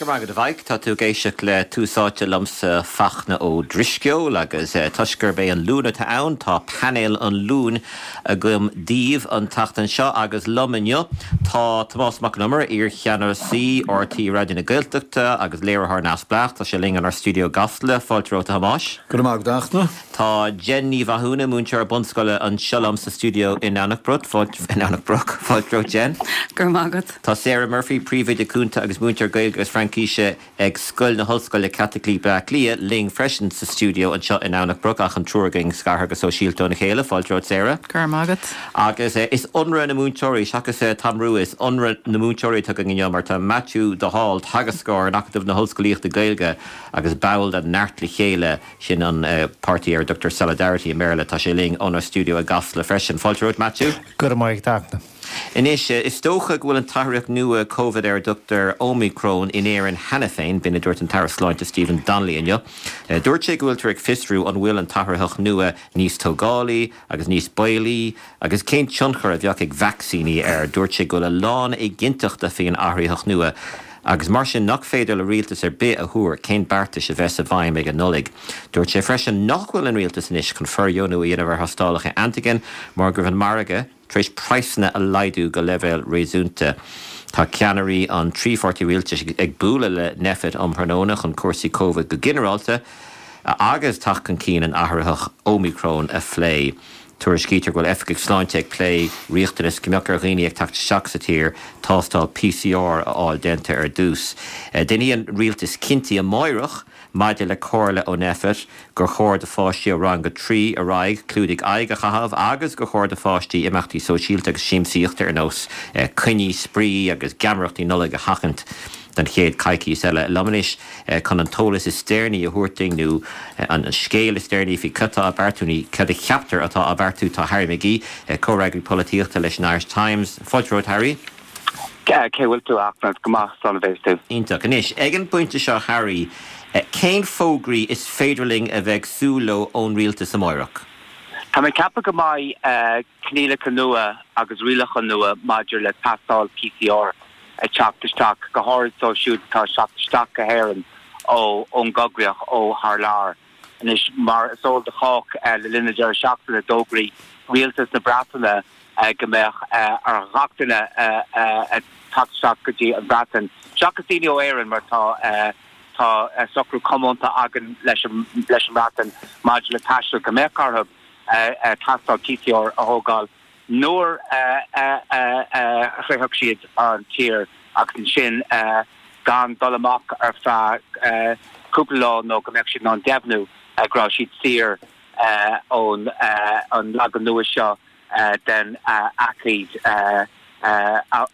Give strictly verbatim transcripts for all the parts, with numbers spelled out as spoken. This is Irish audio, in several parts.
Go raibh maith agat a Mhaidhc, tá tú ag éisteacht le Tús Áite liomsa Fachtna Ó Drisceoil agus toisc gurb é an Luan atá ann tá painéal an Luain agam daoibh an tseachtain seo agus liom inniu tá Tomás Mac Con Iomaire, iarcheannasaí R T Raidió na Gaeltachta agus léiritheoir neamhspleách, tá sé linn inár stiúideo i gCasla, fáilte romhat a Thomáis. Go raibh maith agat a Fhachtna. Tá Jen Ní Mhathúna, múinteoir bunscoile anseo liom sa stiúideo in Anach in Anach Broc, fáilte romhat Jen. Go raibh maith agat. Tá Sarah Murphy, príomhoide cúnta agus múinteoir Gaeilge agus Fraincise ag Scoil na hOllscoile Caitlicí Bleá Cliath linn freisin sa stiúideo anseo in Anach Broc ach an triúr againn scartha go sóisialta óna chéile, fáilte romhat Sarah. Go raibh maith agat. Agus eh, is ionradh na múinteoirí seachas eh, Tom Rua is ionradh na múinteoirí atá againn inniu mar tá Matthew de Hál teagascóir in Acadamh na hOllscolaíochta Gaeilge agus ball de Neart le Chéile sin an uh, páirtí ar a dtugtar Solidarity i mBéarla tá sé linn óna stiúideo i gCasla freisin. Fáilte romhat Matthew. Go raibh maith agat a Fhachtna. Anois is dócha go bhfuil an t-athraitheach nua COVID ar a dtugtar Omicron in Éirinn cheana féin b'in a dúirt an tAire Sláinte Stephen Donnelly inniu. Dúirt sé go bhfuiltear ag fiosrú an bhfuil an t-athraitheach nua níos tógálaí agus níos baolaí agus cén tionchar a bheadh ag vacsaíní air. Dúirt sé go bhfuil a lán éiginnteachta faoin athraitheach nua. agus mar sin nach féidir le rialtas ar bith a thuar cén beartais a bheas i bhfeidhm ag an Nollaig. Dúirt sé freisin nach bhfuil an rialtas anois chun fóirdheonú a dhéanamh ar thástálacha antigen mar go bhfuil an margadh tar éis praghsanna a laghdú go leibhéal réasúnta. Tá ceannairí an trí pháirtí rialtais ag bualadh le Nphet um thráthnóna chun cúrsaí COVID go ginearálta agus teacht chun cinn an athraitheach Omicron a phlé. Tuairiscítear go bhfuil oifigigh sláinte ag plé riachtanas go mbeadh ar dhaoine ag teacht isteach sa tír tástáil P C R a fháil déanta ar dtús. Déanfaidh an rialtas cinntí amárach maidir le comhairle ó Nphet gur chóir do pháistí ó rang a trí ar aghaidh clúdaigh aghaidh a chaitheamh agus gur chóir do pháistí imeachtaí sóisialta agus siamsaíochta ar nós coinní spraoi agus geamaireachtaí Nollag a sheachaint don chéad choicís eile. Liom anois chun an t-eolas is deireanaí a thabhairt dúinn nó an scéal is deireanaí faoi cad atá á bheartú nó cad a cheaptar atá á bheartú tá Harry McGee, comhfhreagraí polaitíochta leis an Irish Times. Fáilte romhat Harry? Cé bhfuil tú ach go maith san bhééis tú. Iontach anois ag an bpointe seo Harry, cén fógraí is féidir linn a bheith ag súil leo ón rialtas amárach? Tá mé ag ceapadh go mbeidh coinníollacha nua agus rialacha nua maidir le tástáil P C R ag teacht isteach go háirid dóibh siúd atá teacht isteach go hÉirinn ó ón gcoigríoch ó thar lear. Anois mar is eol do chách le linn na deireadh seachtaine d'fhógair rialtas na Breataine go mbeadh ar gach duine teacht isteach go dtí an Bhreatain. Seachas daoine ó Éirinn mar tá tá socrú comónta againn leis leis an mBreatain maidir le taisteal go mbeadh orthu tástáil P C R a thógáil nuair a shroicheann siad an tír agus ansin gan dul amach ar feadh cúpla lá nó go mbeadh siad in ann deimhniú go raibh siad saor ón an leagan nua seo den aicíd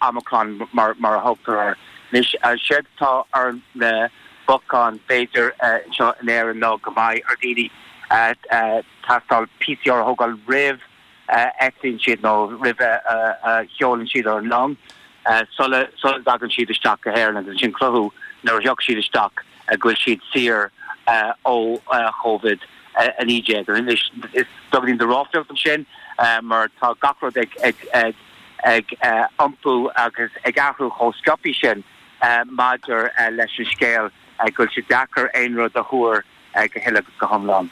Omicron mar mar a thugtar air. Anois séard atá ar na bacáin b'fhéidir seo in Éirinn ná go mbeidh ar daoine tástáil P C R a thógáil roimh eitlíonn siad nó roimh a sheolann siad ar an long sula sula dtagann siad isteach go hÉirinn agus sin cruthú nuair a thiocfaidh siad isteach go bhfuil siad saor ó COVID a naoi déag. Anois is beagáinín de ráflaíocht ansin mar tá gach rud ag ag ag ag iompú agus ag athrú chomh sciobtha sin maidir leis an scéal go bhfuil sé deacair aon rud a thuar go huile go hiomlán.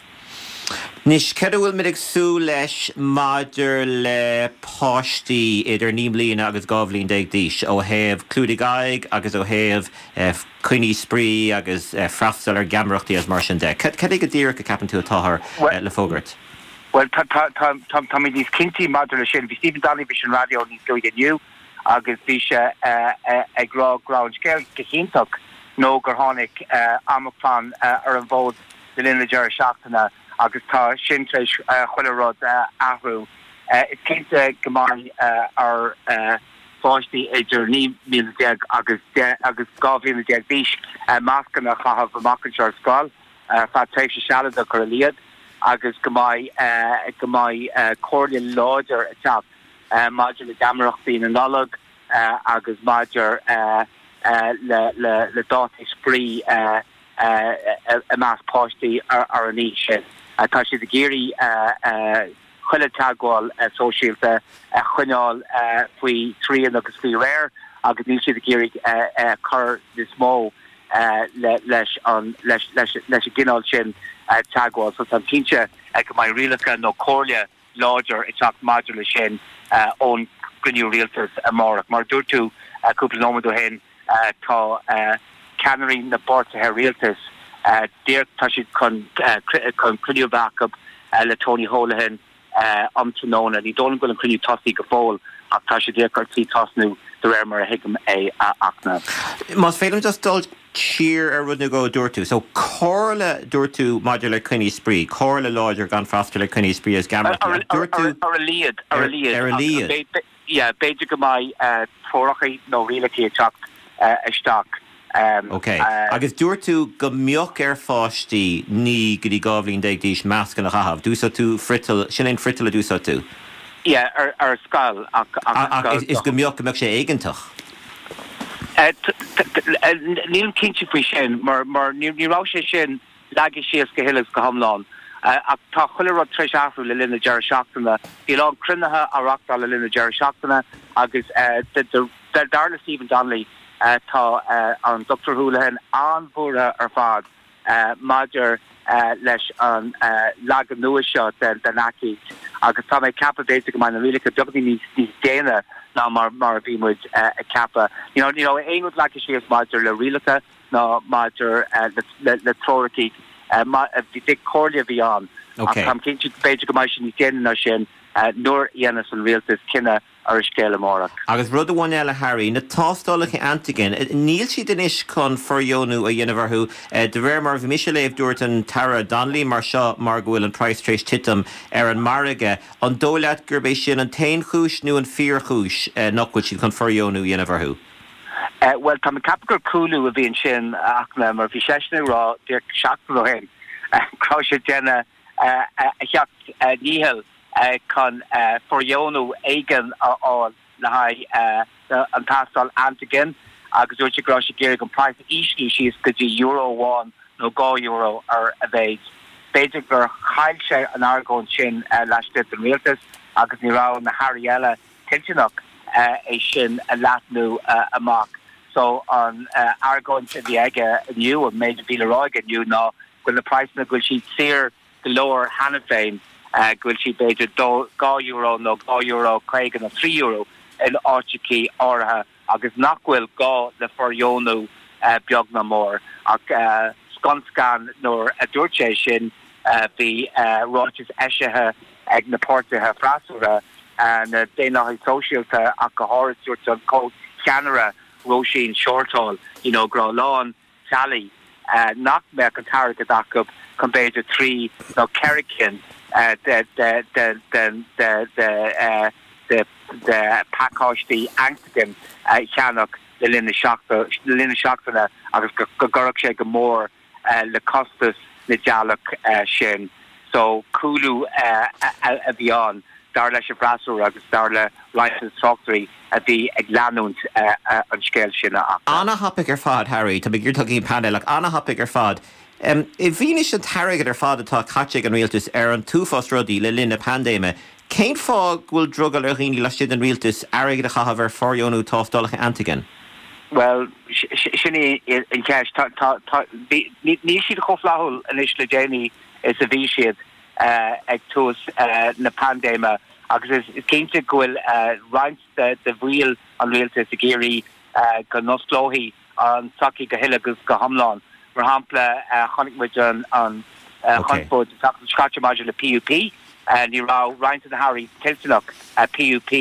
Anois cad a bhfuil muid ag súil leis maidir le páistí idir naoi mbliana agus dhá bhliain déag d'aois ó thaobh clúdaigh aghaidh agus ó thaobh coinní spraoi agus freastal ar gheamaireachtaí agus mar sin de. Cad é go díreach a cheapann tú atáthar le fógairt? Well tá mé níos cinnte maidir le sin, bhí Stephen Donnelly ar an raidió níos luaithe inniu agus bhí sé ag rá go raibh an scéal go hiontach nó gur tháinig Omicron ar an bhfód le linn na deireadh seachtaine agus tá sin tar éis chuile rud athrú. Is cinnte go mbeidh ar pháistí idir naoi mbliana déag agus agus dhá bhliain déag d'aois mascanna a chaitheamh amach anseo ar scoil feadh tréimhse sealadach ar a laghad agus go mbeidh go mbeidh comhairle láidir ag teacht maidir le geamaireachtaí na Nollag agus maidir le le le dátaí spraoi i measc páistí ar ar an aois sin. Tá siad ag iarraidh chuile teagmháil sóisialta a choinneáil faoi srian agus faoi réir agus níl siad ag iarraidh cur níos mó leis an leis leis leis an gcineál sin teagmháil. So táim cinnte go mbeidh rialacha nó comhairle láidir ag teacht maidir leis sin ón gcruinniú rialtais amárach. Mar a dúirt tú cúpla nóiméad ó shin, tá ceannairí na bpáirtithe rialtais díreach tá siad chun chun cruinniú a bheith acu le Tony Holohan um tráthnóna. Ní dóigh liom go bhfuil an cruinniú tosaithe go fóill ach tá sé díreach ar tí tosnú de réir mar a thuigim é a Fhachtna. Más féidir just dul siar ar rud nó dhó a dúirt tú. So comhairle dúirt tú maidir le coinní spraoi, comhairle láidir gan freastal ar coinní spraoi is geamaireachtaí. Dúirt tú ar a laghad ar a laghad ar a laghad. Yeah, b'fhéidir go mbeidh treoracha nó rialacha ag teacht isteach. Ok. Agus dúirt tú go mbeadh ar pháistí naoi go dtí dhá bhliain déag d'aois mascanna a chaitheamh. D'úsáid tú friotal, sin é an friotal a d'úsáid tú? Yeah, ar, ar scoil ach, ach, ach is go mbeadh go mbeadh sé éigeantach. Nílim cinnte faoi sin mar, mar ní, ní raibh sé sin leagtha síos go huile is go hiomlán. Ach tá chuile rud tar éis athrú le linn na deireadh seachtaine. Bhí a lán cruinnithe á reáchtáil le linn na deireadh seachtaine agus dar le Stephen Donnelly tá an Dochtúir Holohan an-bhuartha ar fad maidir leis an leagan nua seo den aicíd agus tá mé ag ceapadh b'fhéidir go mbeidh na rialacha beagáinín níos déine ná mar mar a bhí muid ag ceapadh. Ní raibh aon rud leagtha síos maidir le rialacha ná maidir le treoracha bhí comhairle a bhí ann ach táim cinnte b'fhéidir go mbeidh sé níos déine ná sin nuair a dhéanfas an rialtas cinneadh ar an scéal amárach. Agus rud amháin eile Harry, na tástálacha antigen, níl siad anois chun fordheonú a dhéanamh orthu. De réir mar a bhí mise ag léamh dúirt an tAire Donnelly mar seo mar go bhfuil an praghas tar éis titim ar an margadh. An dóigh leat gurb é sin an t-aon chúis nó an fíorchúis nach bhfuil siad chun fordheonú a dhéanamh orthu? Bhuel, tá mé ag ceapadh gur cúlú a bhí ansin a Fhachtna, mar bhí seisean ag rá díreach seachtain ó shin go raibh sé ag déanamh a sheacht ndícheall chun fordheonú éigin a fháil le haghaidh an tástáil antigen agus dúirt sé go raibh sé ag iarraidh an praghas a ísliú síos go dtí euro amháin nó dhá euro ar a mhéad. B'fhéidir gur chaill sé an argóint sin laistigh den rialtas agus ní raibh na hairí eile toilteanach é sin a leathnú amach. So an argóint a bhí aige inniu, an méid a bhí le rá aige inniu ná go bhfuil na praghsanna go bhfuil siad saor go leor cheana féin, go bhfuil siad b'fhéidir dhá euro nó dhá euro caoga nó trí euro in áiteachaí áirithe agus nach bhfuil gá le fordheonú beag ná mór. Ach scun scan nuair a dúirt sé sin bhí ráiteas eisithe ag na páirtithe freasúra, na Daonlathaigh Sóisialta ach go háirid, dúirt an comhcheannaire Róisín Shortall you know go raibh a lán teaghlaigh nach mbeadh an t-airgead acu chun b'fhéidir trí nó ceithre cinn de de de phacáistí antigen a cheannach le linn na seachtaine agus go gcuirfeadh sé go mór le costas na dteaghlach sin. So cúlú a bhí ann, dar leis an bhfreasúra agus dar le roinnt de na tráchtairí a bhí ag leanúint an scéil sin a fhachtna. Ana-thapaidh ar fad, Harry. Tá mé ag iarraidh dul go dtí an painéal ach ana-thapaidh ar fad. I bhfianaise an t-airgead ar fad atá caite ag an rialtas ar an t-uafás rudaí le linn na paindéime, cén fáth go bhfuil drogall ar dhaoine laistigh den rialtas airgead a chaitheamh ar fhordheonú tástálacha antigen? Bhuel, sin í an cheist. Níl siad chomh flaithiúil anois le déanaí is a bhí siad ag tús na paindéime agus is cinnte go bhfuil roinnt de bhaill an rialtais ag iarraidh go n-osclófaí an tsochaí go huile agus go hiomlán. Mar shampla, chonaic muid an chonspóid an tseachtain seo caite maidir le PUP. Ní raibh roinnt de na hairí toilteanach PUP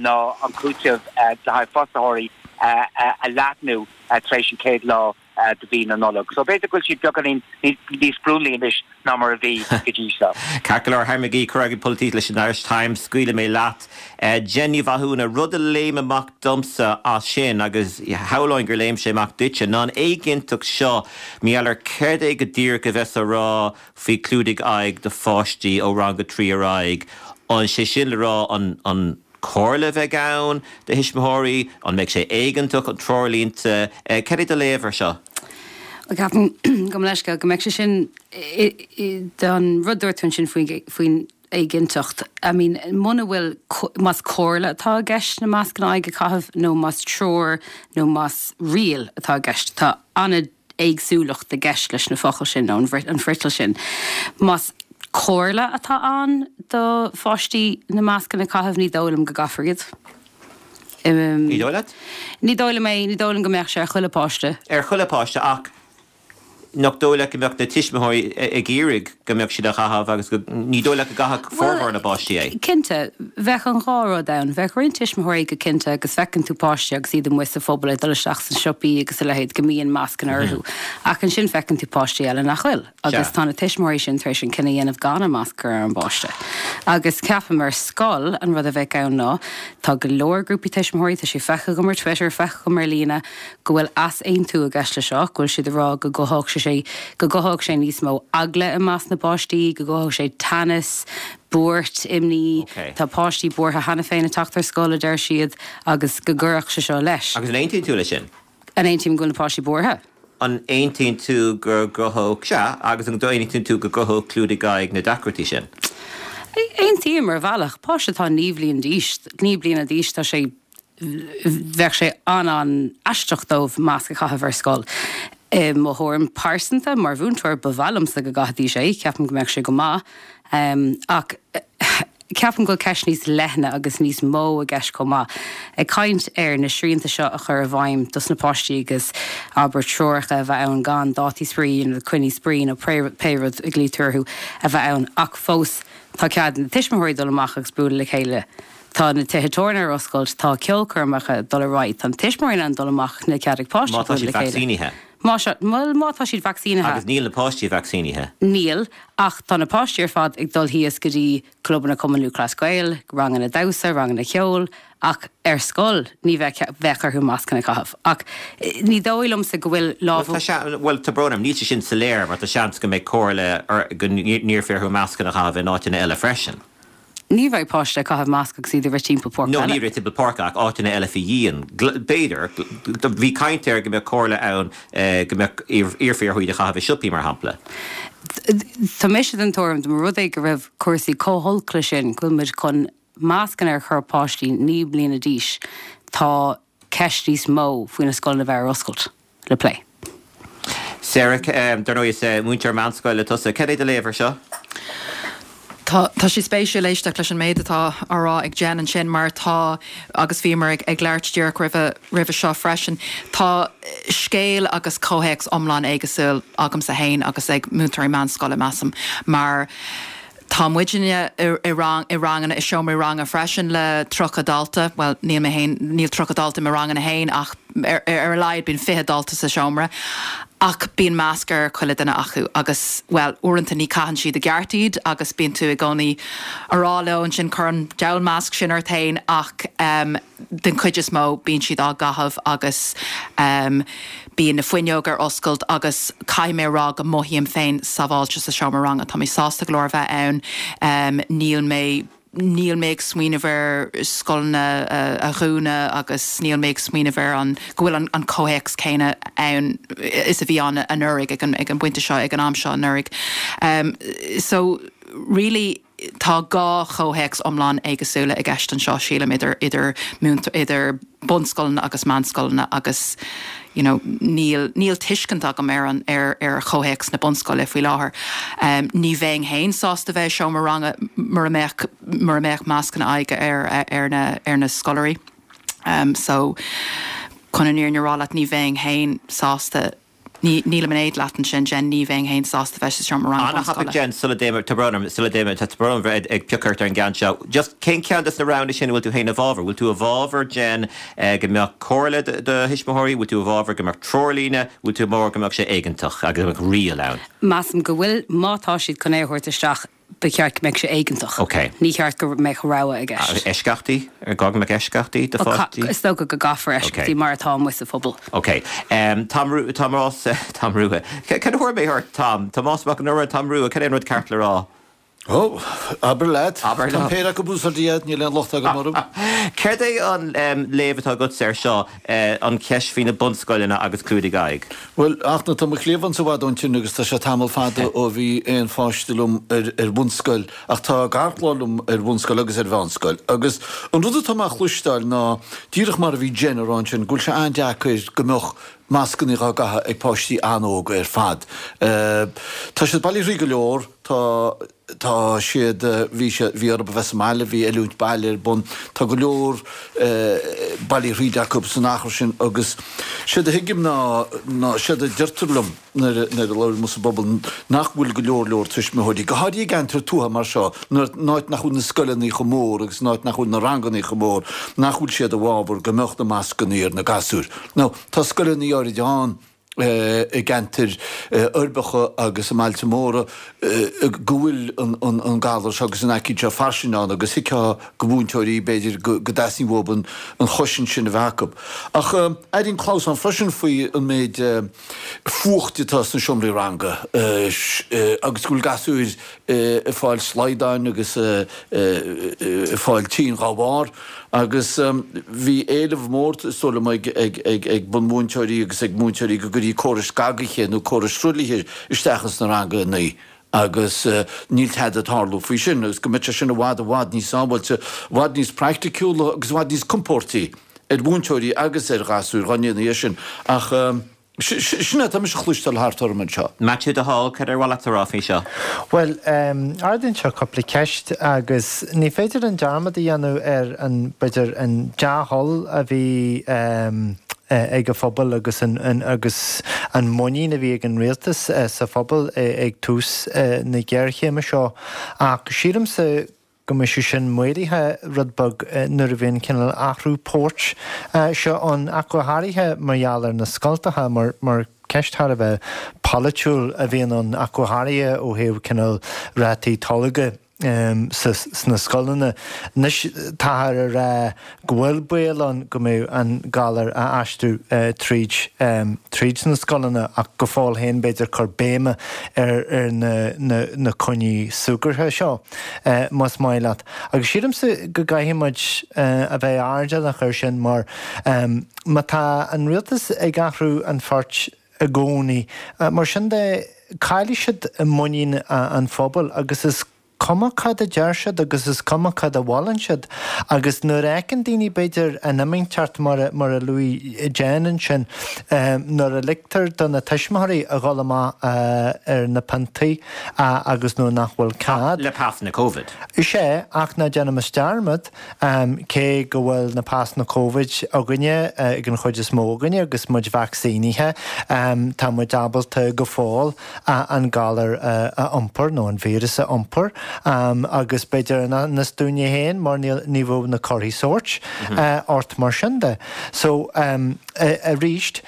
ná an cúiteamh le haghaidh fostaitheoirí a leathnú tar éis an chéad lá de mhí na Nollag. So b'fhéidir go bhfuil siad beagáinín níos sprionlaí anois ná mar a bhí go dtí seo. Ceart go leor, Harry McGee, Comhfhreagraí Polaitíochta leis an Irish Times, scaoilfidh mé leat. Jen Ní Mhathúna, rud a léim amach domsa as sin, agus shamhlóinn gur léim sé amach duitse, ná an éiginnteacht seo mar gheall ar céard é go díreach a bheas á rá faoi clúdaigh aghaidh do pháistí ó rang a trí ar aghaidh. An sé sin le rá an an comhairle a bheidh ann do thuismitheoirí? An mbeidh sé éigeantach, an treoirlínte? Cad é do léamh ar seo? Bhuel, ceapaim, gabh mo leithscéal, go mbeidh sé sin, don rud a dúirt tú ansin faoin éiginnteacht. I mean, muna bhfuil más comhairle atá i gceist na mascanna aghaidhe a chaitheamh nó más treoir nó más riail atá i gceist, tá an-éagsúlacht i gceist leis na focail sin nó an friotal sin. Más comhairle atá ann do pháistí na mascanna a chaitheamh ní dóigh liom go gcaithfear iad. Ní dóigh leat? Ní dóigh liom é, ní dóigh liom go mbeadh sé ar chuile páiste. Ar chuile páiste ach nach dóigh leat go mbeadh na tuismitheoirí ag iarraidh go mbeadh siad á chaitheamh agus go ní dóigh leat go gcaithfeadh formhór na bpáistí é? Cinnte, bheadh an dhá rud ann. Bheadh roinnt tuismitheoirí go cinnte agus feiceann tú páistí agus iad amuigh sa phobal ag dul isteach sna siopaí agus a leithéid go mbíonn mascanna orthu. Ach ansin feiceann tú páistí eile nach bhfuil. Agus tá na tuismitheoirí sin tar éis an cinneadh a dhéanamh gan an masc a chur ar an bpáiste. Agus ceapaim ar scoil an rud a bheadh ann ná tá go leor grúpaí tuismitheoirí, tá sé feicthe agam ar Twitter, feicthe agam ar líne, go bhfuil easaontú i gceist le seo, go bhfuil siad ag rá go gcothódh sé go gcothódh sé níos mó eagla i measc na bpáistí, go gcothódh sé teannas, buairt, imní. Tá páistí buartha cheana féin ag teacht ar scoil, a deir siad, agus go gcuirfeadh sé seo leis. Agus an aontaíonn tú leis sin? An aontaím go bhfuil na páistí buartha? An aontaíonn tú go gcruthódh, sea, agus an aontaíonn tú go gcruthódh clúdaigh aghaidh na deacrachtaí sin? Aontaím ar bhealach. Páiste atá naoi bhliain d'aois, naoi bliana d'aois, tá sé, bheadh sé an-an-aisteach dóibh masc a chaitheamh ar scoil. I mo thuairim pearsanta, mar mhúinteoir, ba mhaith liomsa go gcaithfidís é, ceapaim go mbeadh sé go maith. Ach ceapaim go bhfuil ceist níos leithne agus níos mó i gceist chomh maith. Ag caint ar na srianta seo a chur i bhfeidhm dos na páistí agus abair treoracha a bheith ann gan dátaí spraoi nó coinní spraoi nó pé rud a ghlaoitear orthu a bheith ann ach fós tá cead na tuismitheoirí dul amach agus bualadh le chéile. Tá na tithe tábhairne ar oscailt, tá ceolchoirmeacha ag dul ar aghaidh, tá na tuismitheoirí in ann dul amach, níl cead ag páistí Má tá bualadh siad le chéile. vacsaínithe. Má sea, bhuel, má tá siad vacsaínithe. Agus níl na páistí vacsaínithe. Níl, ach tá na páistí ar fad ag dul thíos go dtí clubanna Cumann Lúthchleas Gael, ranganna damhsa, ranganna ceoil, ach ar scoil ní bheadh, bheadh orthu mascanna a chaitheamh. Ach ní dóigh liomsa go bhfuil lámh. Bhuel, tá sea, bhuel, tá brón orm, níl sé sin soiléir mar tá seans go mbeidh comhairle or go n-iarrfaí orthu mascanna a chaitheamh in áiteanna eile freisin. Ní bheidh páiste ag caitheamh masc agus iad ag rith timpeall páirc No, peile. ní rith timpeall páirce ach áiteanna eile faoi dhíon. B'fhéidir. Bhí caint air go mbeadh comhairle ann go mbeadh, iarrfaí orthu iad a chaitheamh i siopaí, mar shampla. Tá mise den tuairim, dá mba rud é go raibh cúrsaí chomh holc le sin, go bhfuil muid chun mascanna a chur ar pháistí naoi mbliana d'aois, tá ceist níos mó faoi na scoileanna a bheith ar oscailt le plé. Sarah, dar ndóigh is múinteoir meánscoile tusa. Cad é do léamh ar seo? Tá tá sé spéisiúil éisteacht leis an méid atá á rá ag Jen ansin mar tá, agus bhíomar ag ag labhairt díreach roimhe roimhe seo freisin, tá scéal agus comhthéacs iomlán éagsúil agamsa féin agus ag múinteoirí meánscoile, measaim, mar tá muidne i i rang i ranganna i seomraí ranga freisin le tríocha dalta, bhuel níl mé féin níl tríocha dalta i mo ranganna féin ach ar ar a laghad bíonn fiche dalta sa seomra ach bíonn masc ar chuile duine acu agus bhuel uaireanta ní caitheann siad i gceart iad agus bíonn tú i gcónaí a rá leo ansin cuir an diabhal masc sin ort féin ach um, den chuid is mó bíonn siad á gcaitheamh agus um, bíonn na fuinneoga ar oscailt agus caithfidh mé a rá go mothaím féin sábháilte sa seomra ranga. Tá mé sásta go leor a bheith ann, um, níl mé níl mé ag smaoineamh ar scoileanna a dhúnadh agus níl mé ag smaoineamh ar an go bhfuil an, an comhthéacs céanna ann is a bhí ann anuraidh ag an, ag an bpointe seo ag an am seo anuraidh. Um, so really tá dhá chomhthéacs iomlán éagsúla i gceist anseo sílim idir idir idir bunscoileanna agus meánscoileanna agus you know, níl níl tuiscint agam ar an ar ar chomhthéacs na bunscoile faoi láthair. Um, ní bheinn féin sásta bheith seomra ranga mura mbeadh mura mbeadh mascanna aghaidhe ar ar na ar na scoláirí. Um, so chun an fhírinne a rá leat ní bheinn féin sásta Ní nílim in éad leat ansin Jen ní bheinn féin sásta bheith sa seomra ranga Ana thapaidh bunscoile. Jen sula dtéim tá brón orm sula dtéim tá brón orm bheith ag piocadh ort ar an gceann seo. Just cén ceann des na roghanna sin a bhfuil tú féin i bhfabhar? Bhfuil tú i bhfabhar Jen eh, go mbeadh comhairle do do thuismitheoirí, bhfuil tú i bhfabhar go mbeadh treoirlíne, bhfuil tú i bhfabhar go mbeadh sé éigeantach agus go mbeadh riail ann? Measaim go bhfuil má tá siad chun é a thabhairt isteach ba cheart go mbeadh sé éigeantach. Ok. Ní cheart go mbeadh rogha i gceist. Eisceachtaí? Ar gá go mbeadh eisceachtaí do pháistí? Is dócha go gcaithfear eisceachtaí mar atá amuigh sa phobal. Ok. Um, Tom Ru Tom Ross Tom Rua. Cad a thuair mé ort Tom? Tomás Mac an Iomaire Tom Rua, cad é an rud ceart le rá? Ó, abair leat. Abair Tá leat. péire acu ag úsáid iad, níl aon locht agam orthu. Céard é an léamh atá agatsa air seo, an cheist faoi na bunscoileanna agus clúdaigh aghaidh? Bhuel, ach tá mo chliamhain i bhfad ón tine agus tá sé tamall fada ó bhí aon pháiste liom ar ar bhunscoil, ach tá garchlann liom ar bhunscoil agus ar mheánscoil. Agus an rud atá mé a chloisteáil ná, díreach mar a bhí Jen a rá ansin, go bhfuil sé an-deacair go mbeadh mascanna á gcaitheamh ag páistí an-óg ar fad. Tá siad bailithe thríd go leor, tá tá siad, bhí siad, bhí orthu a bheith sa mbaile, bhí oiliúint baile ar bun, tá go leor bailithe thríd acu san achar sin agus séard a thuigim ná, ná séard a deirtear liom nuair a, nuair a labhraím sa bpobal nach bhfuil go leor leor tuismitheoirí, go háirithe i gceantar tuaithe mar seo, nuair, in áit nach bhfuil na scoileanna chomh mór agus in áit nach bhfuil na ranganna chomh mór, nach bhfuil siad i bhfabhar go mbeadh na mascanna ar na gasúir. Now, tá scoileanna áirid ann i gceantair uirbeacha agus i mbailte móra go bhfuil an galar seo agus an aicíd seo fairsing ann agus thuigfeá do mhúinteoirí b'fhéidir go dteastaíonn uathu an chosaint sin a bheith acu. Ach airíonn clamhsán freisin faoi an méid fuacht atá sna seomraí ranga agus go bhfuil gasúir ag fáil slaghdáin agus ag fáil tinn dhá bharr. Agus bhí éileamh mór, is dóigh liom, ag bunmhúinteoirí agus ag múinteoirí go gcuirfí córais scagaithe nó córais truaillithe isteach ins na ranganna agus níl tada ag tarlú faoi sin agus go mbeadh sé sin i bhfad i bhfad níos sábháilte, i bhfad níos praiticiúla agus i bhfad níos compóirtí ar mhúinteoirí agus ar ghasúir dá ndéanfaí é sin. Ach. Sin é atá mise a chloisteáil thart orm anseo. Maitiú de Hál, cad ar mhaith leat a rá faoi seo? Bhuel, ardaíonn seo cúpla ceist agus ní féidir linn dearmad a dhéanamh ar an, b'fhéidir, an dea-thoil a bhí ag an phobal agus an, agus an muinín a bhí ag an rialtas sa phobal ag tús na géarchéime seo. Ach sílimse go mbeidh sé sin maolaithe rud beag nuair a bhíonn cineál athrú poirt seo ann, ach go háirithe mar gheall ar na scoltacha, mar mar ceist thar a bheith polaitiúil a bhíonn ann, ach go háirithe ó thaobh cineál rátaí tolgtha sna scoileanna. Anois táthar a rá go bhfuil baol ann go mbeidh an galar á aistriú tríd tríd na scoileanna ach go fóill féin b'fhéidir cur béime ar ar na na na coinní súgartha seo más maith leat. Agus sílimse go gcaithfidh muid a bheith airdeallach air sin mar má tá an rialtas ag athrú an phoirt i gcónaí mar sin de caillfidh siad muinín an phobail agus is cuma cad a deir siad agus is cuma cad a mholann siad agus nuair a fheiceann daoine b'fhéidir an fhimínteacht mar a mar a luaigh Jen ansin nuair a ligtear do na tuismitheoirí a dhul amach ar na piontaí agus nuair nach bhfuil cead. Le pasanna Covid. Is ea, ach ná déanaimis dearmad cé go bhfuil na pasanna Covid againne ag an chuid is mó againne agus muid vacsaínithe tá muid ábalta go fóill an galar a iompar nó an víreas a iompar agus b'fhéidir in ainneas dúinne féin mar ní bheadh na comharthaí sóirt ort mar sin de. So arís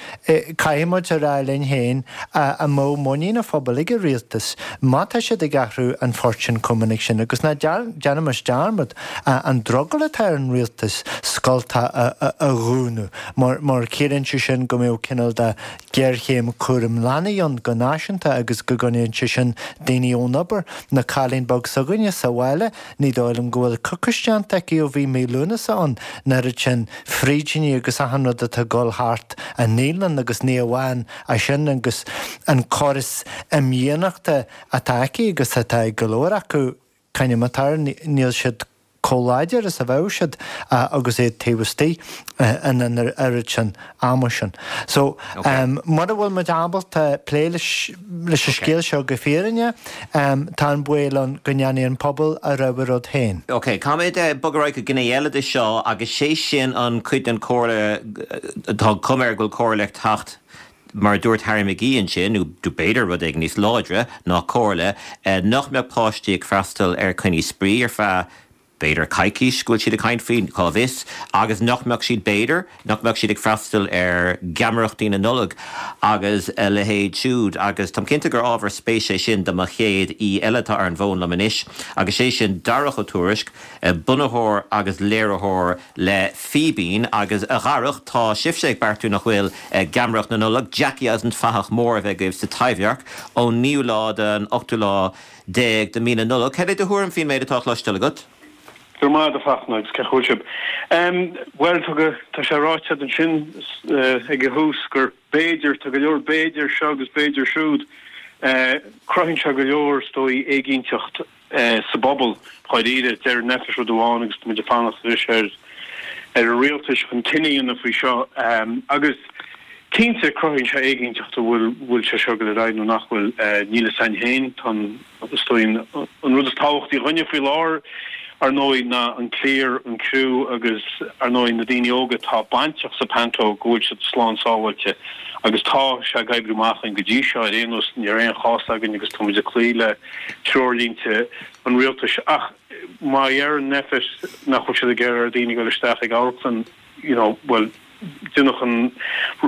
caithfidh muid a rá linn féin an mbeadh muinín an phobail ag an rialtas má tá siad ag athrú an phoirt sin chomh minic sin agus ná déanaimis dearmad an drogall atá ar an rialtas scoltacha a dhúnadh mar ciallaíonn sé sin go mbeadh cineál de géarchéim cúram leanaí ann go náisiúnta agus go gcoinneodh sé sin daoine ón obair. Na cailín beag s'againne sa bhaile, ní dóigh liom go bhfuil coicís déanta aici ó bhí mí Lúnasa ann, an oiread sin frídíní agus achan rud atá ag dul thart an naíolann agus ní amháin é sin agus an córas imdhíonachta atá aici agus atá ag go leor acu, Caithfidh atá, níl siad chomh láidir is a bheadh siad agus iad taobh istigh an oiread sin ama sin. So, mura bhfuil muid ábalta plé leis an scéal seo go fírinneach, tá an baol ann go ndéanfaidh an pobal a rogha rud féin. Ok, caithfimid bogadh ar aghaidh go gné eile de seo agus sé sin an cuid den chomhairle, tá cuma air go bhfuil comhairle ag teacht mar a dúirt Harry McGee ansin, nó b'fhéidir rud éigin níos láidre ná comhairle, nach mbeadh páistí ag freastal ar coinní spraoi ar feadh b'fhéidir coicís go bhfuil siad ag caint faoi, cá bhfios, agus nach mbeadh siad b'fhéidir, nach mbeadh siad ag freastal ar gheamaireachtaí na Nollag agus a leithéid siúd. Agus táim cinnte gur ábhar spéise é sin do mo chéad aoi eile atá ar an bhfón liom anois, agus sé sin Darach Ó Tuairisg, bunaitheoir agus léiritheoir le Fíbín. Agus a Dharach, tá sibhse ag beartú nach bhfuil Geamaireacht na Nollag, Jackie agus an Fathach Mór a bheith agaibh sa Taibhdhearc ón naoú lá don ochtú lá déag de mí na Nollag. Cad é do thuairim faoin méid atá á chloisteáil agat? Go raibh maith agat, a Fachtna, agus cén chaoi a bhfuil sibh? Bhuel, tá sé ráite ansin ag an thús gur b'fhéidir, tá go leor b'fhéidir seo agus b'fhéidir siúd. Cruthaíonn sé go leor, is dóigh, éiginnteacht sa bpobal, dháiríre. Deir Nphet rud amháin agus tá muid ag fanacht anois ar ar an rialtas chun cinneadh a dhéanamh faoi seo. Agus cinnte, cruthaíonn sé éiginnteacht an bhfuil bhfuil sé seo ag dul ar aghaidh nó nach bhfuil. Níl a fhios againn féin. Tá an, is dóigh, an rud is tábhachtaí dhúinne faoi láthair, ar ndóigh, ná an cliar, an criú agus, ar ndóigh, na daoine óga atá bainteach sa panto, go bhfuil siad slán sábháilte. Agus tá sé ag oibriú amach againn go dtí seo, ar aon nós, ní raibh aon chás againn agus tá muid ag cloí le treoirlínte an rialtais. Ach má deireann Nphet nach bhfuil siad ag iarraidh ar dhaoine dul isteach ag amharclann, you know, bhuel, déanadh an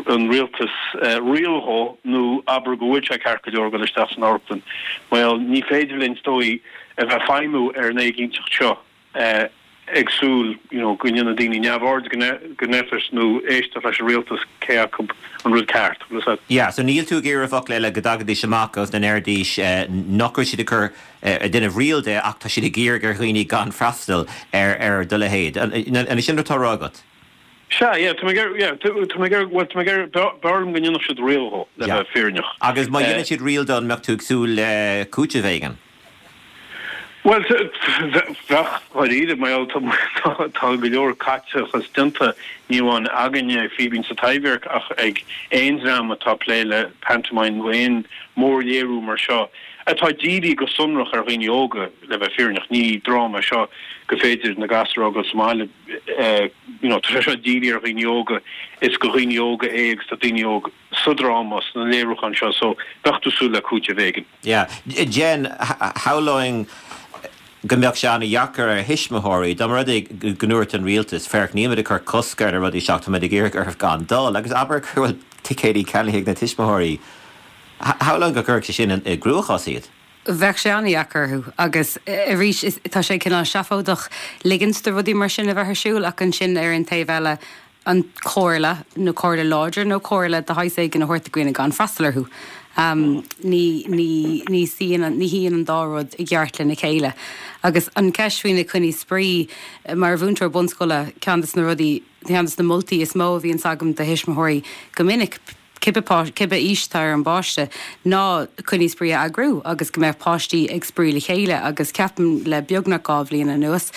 an rialtas riail dhó nó abair go bhfuil sé ceart go leor dul isteach san amharclann, bhuel, ní féidir linn, is dóigh, a bheith ag feidhmiú ar an éiginnteacht seo ag súil you know go ndéanfaidh daoine neamhaird de Nphet nó éisteacht leis an rialtas cé acu an rud ceart. Bhfuil fhios a'd? Yeah, so níl tú ag iarraidh i bhfocla eile go dtagaidís amach agus go ndéarfaidís nach raibh siad ag cur ag déanamh riail de ach tá siad ag iarraidh ar dhaoine gan freastal ar ar do leithéid. An é sin rud atá á rá agat? Sea, yeah, tá mé ag iarraidh, yeah, tá mé ag iarraidh, bhuel, tá mé ag iarraidh, b'fhearr liom go ndéanfadh siad riail dhó, le bheith fírinneach. Agus má dhéanann siad riail dó, an mbeadh tú ag súil le cúiteamh éigin? Bhuel, bheadh, dháiríre, mar gheall tá go leor caiteachas déanta, ní amháin againne ag Fíbín sa Taibhdhearc ach ag aon dream atá ag plé le pantomime nó aon mhórléiriú mar seo atá dírithe go sonrach ar dhaoine óga, le bheith fírinneach. Ní dráma é seo gur féidir na gasúir a fhágáil sa mbaile, you know, tá sé seo dírithe ar dhaoine óga, is do dhaoine óga é agus tá daoine óga. sa dráma, sna léiriúcháin seo, so bheadh tú ag súil le cúiteamh éigin. Yeah. Jen, shamhlóinn go mbeadh sé an-dheacair ar thuismitheoirí, dá mba rud é go ndúirt an rialtas, féach, níl muid ag cur cosc ar na rudaí seo ach tá muid ag iarraidh oraibh gan dul, agus abair go bhfuil ticéidí ceannaithe ag na tuismitheoirí. Shamhlóinn go gcuirfeadh sé sin i gcruachás iad. Bheadh sé an-dheacair orthu agus arís tá sé cineál seafóideach ligint do rudaí mar sin a bheith ar siúl ach ansin ar an taobh eile an comhairle, nó comhairle láidir nó comhairle de shaghas éigin a thabhairt do dhaoine gan freastal orthu. Ní, ní, ní suíonn, ní shuíonn an dá rud i gceart lena chéile. Agus an cheist faoi na coinní spraoi, mar mhúinteoir bunscoile, ceann de na rudaí, ceann de na moltaí is mó a bhíonns agam do thuismitheoirí go minic, cibé cibé aois atá ar an bpáiste, ná coinní spraoi a eagrú agus go mbeadh páistí ag spraoi le chéile agus ceapaim le beagnach dhá bhliain anuas,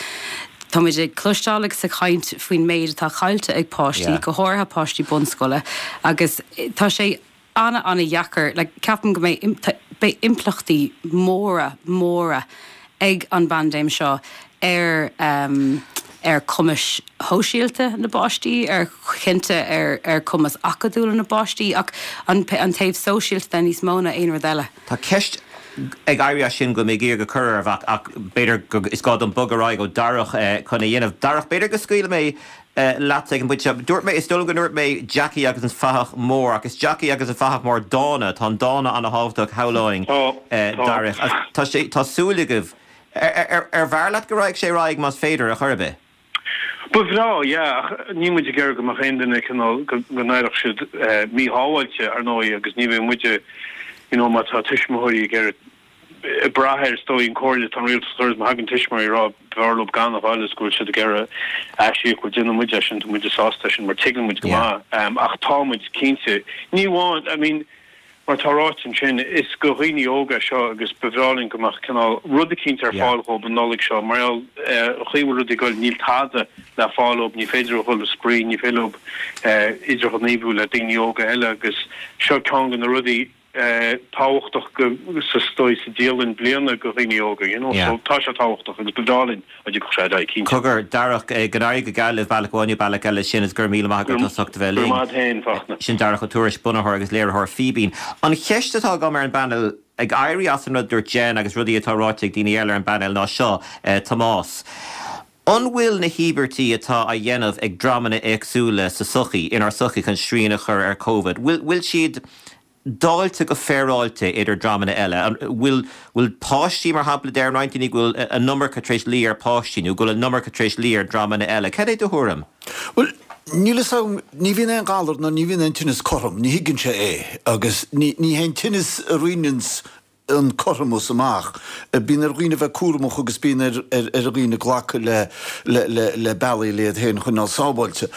tá muid ag cloisteáil agus ag caint faoin méid atá caillte ag páistí, go háirithe páistí bunscoile agus tá sé ana-ana-dheacair, like ceapaim go mbeidh beidh impleachtaí móra, móra ag an bpaindéim seo ar ar chumais shóisialta na bpáistí, ar chinnte ar ar chumas acadúil na bpáistí ach an an taobh sóisialta de níos mó ná aon rud eile. Tá ceist ag éirí as sin go mbeidh iarraidh a chur ar mhac ach b'fhéidir go is gá dom bogadh ar aghaidh ó Darach chun a dhéanamh. Darach, b'fhéidir go scaoilfidh mé leat ag an bpointe seo. Dúirt mé, is dóigh liom go ndúirt mé Jackie agus an Fathach Mór ach is Jackie agus an Fathach Mór Dána. Tá an dána ana-thábhachtach, shamhlóinn, Darach. Tá sé, tá súil agaibh. Ar bhfearr leat go raghadh sé ar aghaidh más féidir, ar chor ar bith? Ba bhreá, yeah, ach níl muid ag iarraidh go mbeadh aon duine cineál, go n-éireodh siad míshábháilte, ar ndóigh, agus ní bheidh muide, you know, má tá tuismitheoirí ag iarraidh, ag brath ar, is dóigh, an comhairle atá an rialtas a chur is má thagann tuismitheoirí ag rá b'fhearr leo gan a ghabháil is go bhfuil siad ag iarraidh aisíoc, bhuel déanfaidh muid é sin, tá muide sásta é sin mar tuigeann muid go maith, ach tá muid cinnte, ní amháin, I mean, Mar atá ráite ansin, is do dhaoine óga é seo agus ba bhreá linn go mbeadh cineál rud eicínt ar fáil dhóibh an Nollaig seo. Mar gheall ar an chaoi a bhfuil rudaí ag dul, níl tada le fáil dhóibh, ní féidir leo dhul ag spraoi, ní féidir leo idirghníomhú le daoine óga eile agus seo ceann de na rudaí tábhachtach go, sa, is dóigh, sa dialann bliana do dhaoine óga, you know. So tá sé tábhachtach agus ba bhreá linn dá dtiocfadh sé ar aghaidh, cinnte. Cogar, Darach, go n-éirí go geal libh bealach amháin nó bealach eile sin is go raibh míle maith agat as ucht a bheith linn. Go raibh maith agat féin, Fachtna. Sin Darach Ó Tuairisg, bunaitheoir agus léiritheoir Fíbín. An cheist atá agam ar an bpainéal, ag éirí as an rud a dúirt Jen agus rudaí atá ráite ag daoine eile ar an bpainéal ná seo, Tomás. An bhfuil na híobairtí atá á dhéanamh ag dreamanna éagsúla sa sochaí, inár sochaí chun srian a chur ar Covid, bhfuil bhfuil siad dáilte go féaráilte idir dreamanna eile? An bhfuil bhfuil páistí, mar shampla, deir roinnt daoine go bhfuil an iomarca tar éis luí ar páistí nó go bhfuil an iomarca tar éis luí ar dreamanna eile. Cad é do thuairim? Bhuel, níl fhios agam, ní bhíonn aon ghalar ná ní bhíonn aon tinneas cothrom, ní thuigeann sé é agus ní ní hé an tinneas a rinneanns an cothromas amach. Bíonn ar dhaoine bheith cúramach agus bíonn ar ar dhaoine glacadh le le le le bealaí le iad féin a choinneáil sábháilte.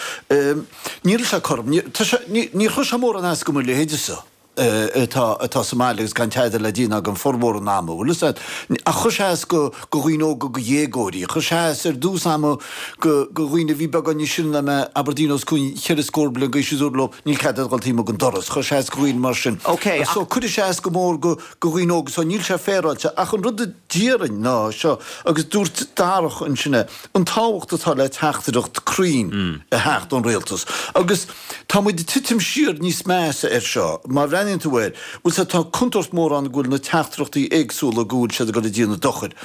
Níl sé cothrom. Tá sé níor chuir sé mórán as do mo leithéidese atá atá sa mbaile agus gan tada le déanamh agam formhór an ama, bhfuil fhios a'd. Ach chuir sé as go go dhaoine óga, go dhéagóirí. Chuir sé as ar dtús ama go go dhaoine a bhí beagán níos sine ná mé, abair daoine os cionn cheithre scór bliain d'aois a dúradh leo, níl cead a'd dhul taobh amuigh den doras. Chuir sé as go dhaoine mar sin. Ok, ach. So cuirfidh sé as go mór go go dhaoine óga so níl sé féaráilte. Ach an rud a déarfainn ná seo, agus dúirt Darach ansin é, an tábhacht atá le teachtaireacht cruinn a theacht ón rialtas. Agus tá muid ag titim siar níos measa air seo, má bhreathnaíonn tú air, bhfuil 's a'd, tá contúirt mór ann go bhfuil na teachtaireachtaí éagsúla go bhfuil siad ag dul ag déanamh dochair.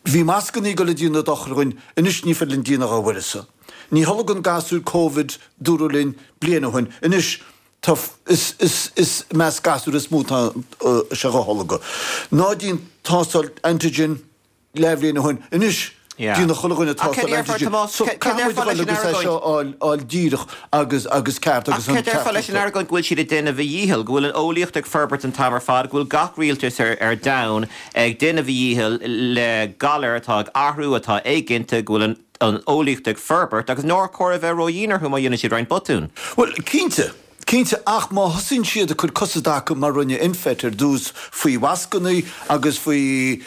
Bhí mascannaí ag dul ag déanamh dochair dhúinn, anois ní féidir linn déanamh dá uireasa. Ní tholgann gasúir Covid, dúradh linn bliain ó shin, anois tá, is, is, is i measc gasúir is mó atá sé dhá tholgadh. Ná déan tástáil antigen leathbhliain ó shin, anois déanann chuile dhuine tástáil antigen. So caithfidh muid a dhul agus é seo a fháil, fháil díreach agus, agus ceart agus an ceart. Ach cad déarfá leis an argóint go bhfuil siad ag déanamh a dhícheall, go bhfuil an eolaíocht ag forbairt an t-am ar fad, go bhfuil gach rialtas ar, ar domhan ag déanamh a dhícheall le galar atá ag athrú, atá éiginnte, go bhfuil an an eolaíocht ag forbairt agus nár chóir a bheith ródhian orthu má dhéanann siad roinnt botún. Bhuel, cinnte, cinnte, ach má thosaíonn siad ag cur cosa i dtaca mar rinne Nphet ar dtús faoi mhascannaí agus faoi